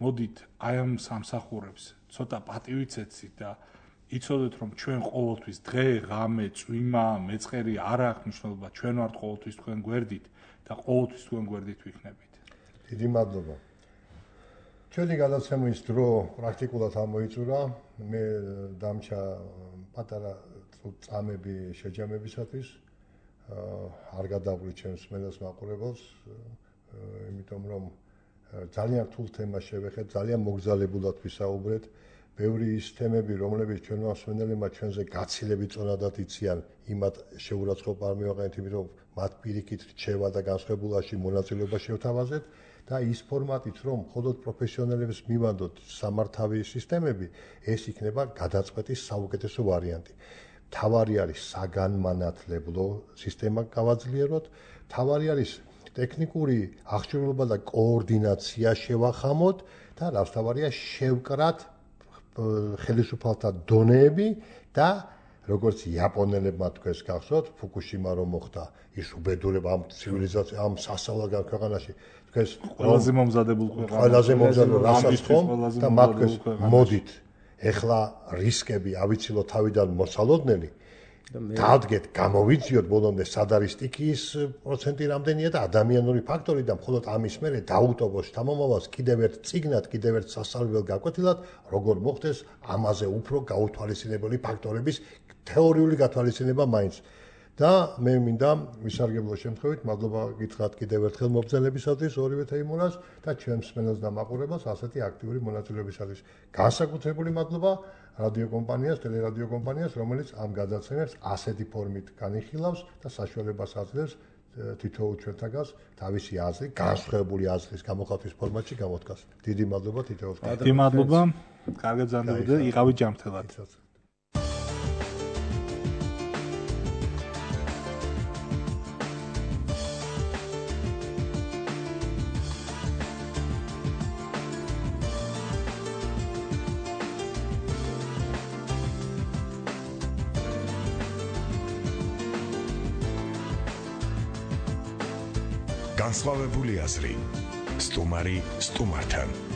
მოდით აი ამ სამსახურებს ცოტა პატივით ეცით და იცოდეთ რომ ჩვენ ყოველთვის დღე ღამე წვიმა მეწყერი არ აქვს მნიშვნელობა ჩვენ ვართ ყოველთვის თქვენ გვერდით და ყოველთვის თქვენ გვერდით ვიქნებით დიდი მადლობა ჩვენი გადაცემის დრო პრაქტიკულად ამოიწურა მე დამჩა პატარა წამები შეჯამებისათვის არ გადავყვი ჩემს მელას მაყურებელს იმიტომ რომ ძალიან რთულ თემას შევეხეთ ძალიან მოგზალებულად ვისაუბრეთ ბევრი ის თემები რომლებიც ჩვენმა მსმენელებმა ჩვენზე გაცილებით წონადად იციან იმათ შეურაცხყოფა არ მივაყენეთ იმიტომ რომ მათ პირიქით რჩევა და განსხვავებულაში მონაწილეობა შევთავაზეთ და ის ფორმატით რომ მხოლოდ პროფესიონალებს მივანდოთ სამართავი სისტემები ეს იქნება გადაწყვეტის საუკეთესო ვარიანტი თავარი არის საგანმანათლებლო სისტემა გავაძლიეროთ თავარი არის ტექნიკური აღჭურვილობა და კოორდინაცია შევახამოთ და რაც თავარია შევკრათ ხელისუფალთა დონეები და როგორც იაპონელებმა თქვენს გახსოვთ ფუკუშიმა რომ მოხდა ის უბედურება ამ ცივილიზაცია ამ სასწავლო ქვეყანაში თქვენს ყველაზე მომზადებულ ქვეყანა ყველაზე მომზადებულ რასაც ხომ და მაგას მოდით ეხლა რისკები ავიცილოთ თავიდან მოსალოდნელი დავდგეთ გამოვიძიოთ ბოლომდე სად არის სტიქიის პროცენტი რამდენია და ადამიანური ფაქტორი და მხოლოდ ამის მერე დაუტოვოს შთამომავალს კიდევ ერთ წიგნად კიდევ ერთ სასწავლებლად გაკვეთილად როგორ მოხდეს ამაზე უფრო გაუთვალისწინებელი ფაქტორების თეორიული გათვალისწინება მაინც და მე მინდა ვისარგებლო შემთხვევით მადლობა გითხრათ კიდევ ერთხელ მობრძანებისათვის ორივე თეიმურას და ჩემს მსმენელს და მაყურებელს ასეთი აქტიური მონაწილეობისათვის განსაკუთრებული მადლობა რადიო კომპანიას, ტელერადიო კომპანიას, რომელიც ამ გადაცემებს ასეთი ფორმით განიხილავს და საშუალებას აძლევს თითოეულ ჩვენთაგანს თავისი აზრი, განსხვავებული აზრის გამოხატვის ფორმატში გამოთქვას. დიდი მადლობა თითოეულს. დიდი მადლობა. კარგად ზანდებოდეთ და იყავით ჯანმრთელად. განსხვავებული აზრი სტუმარი სტუმართან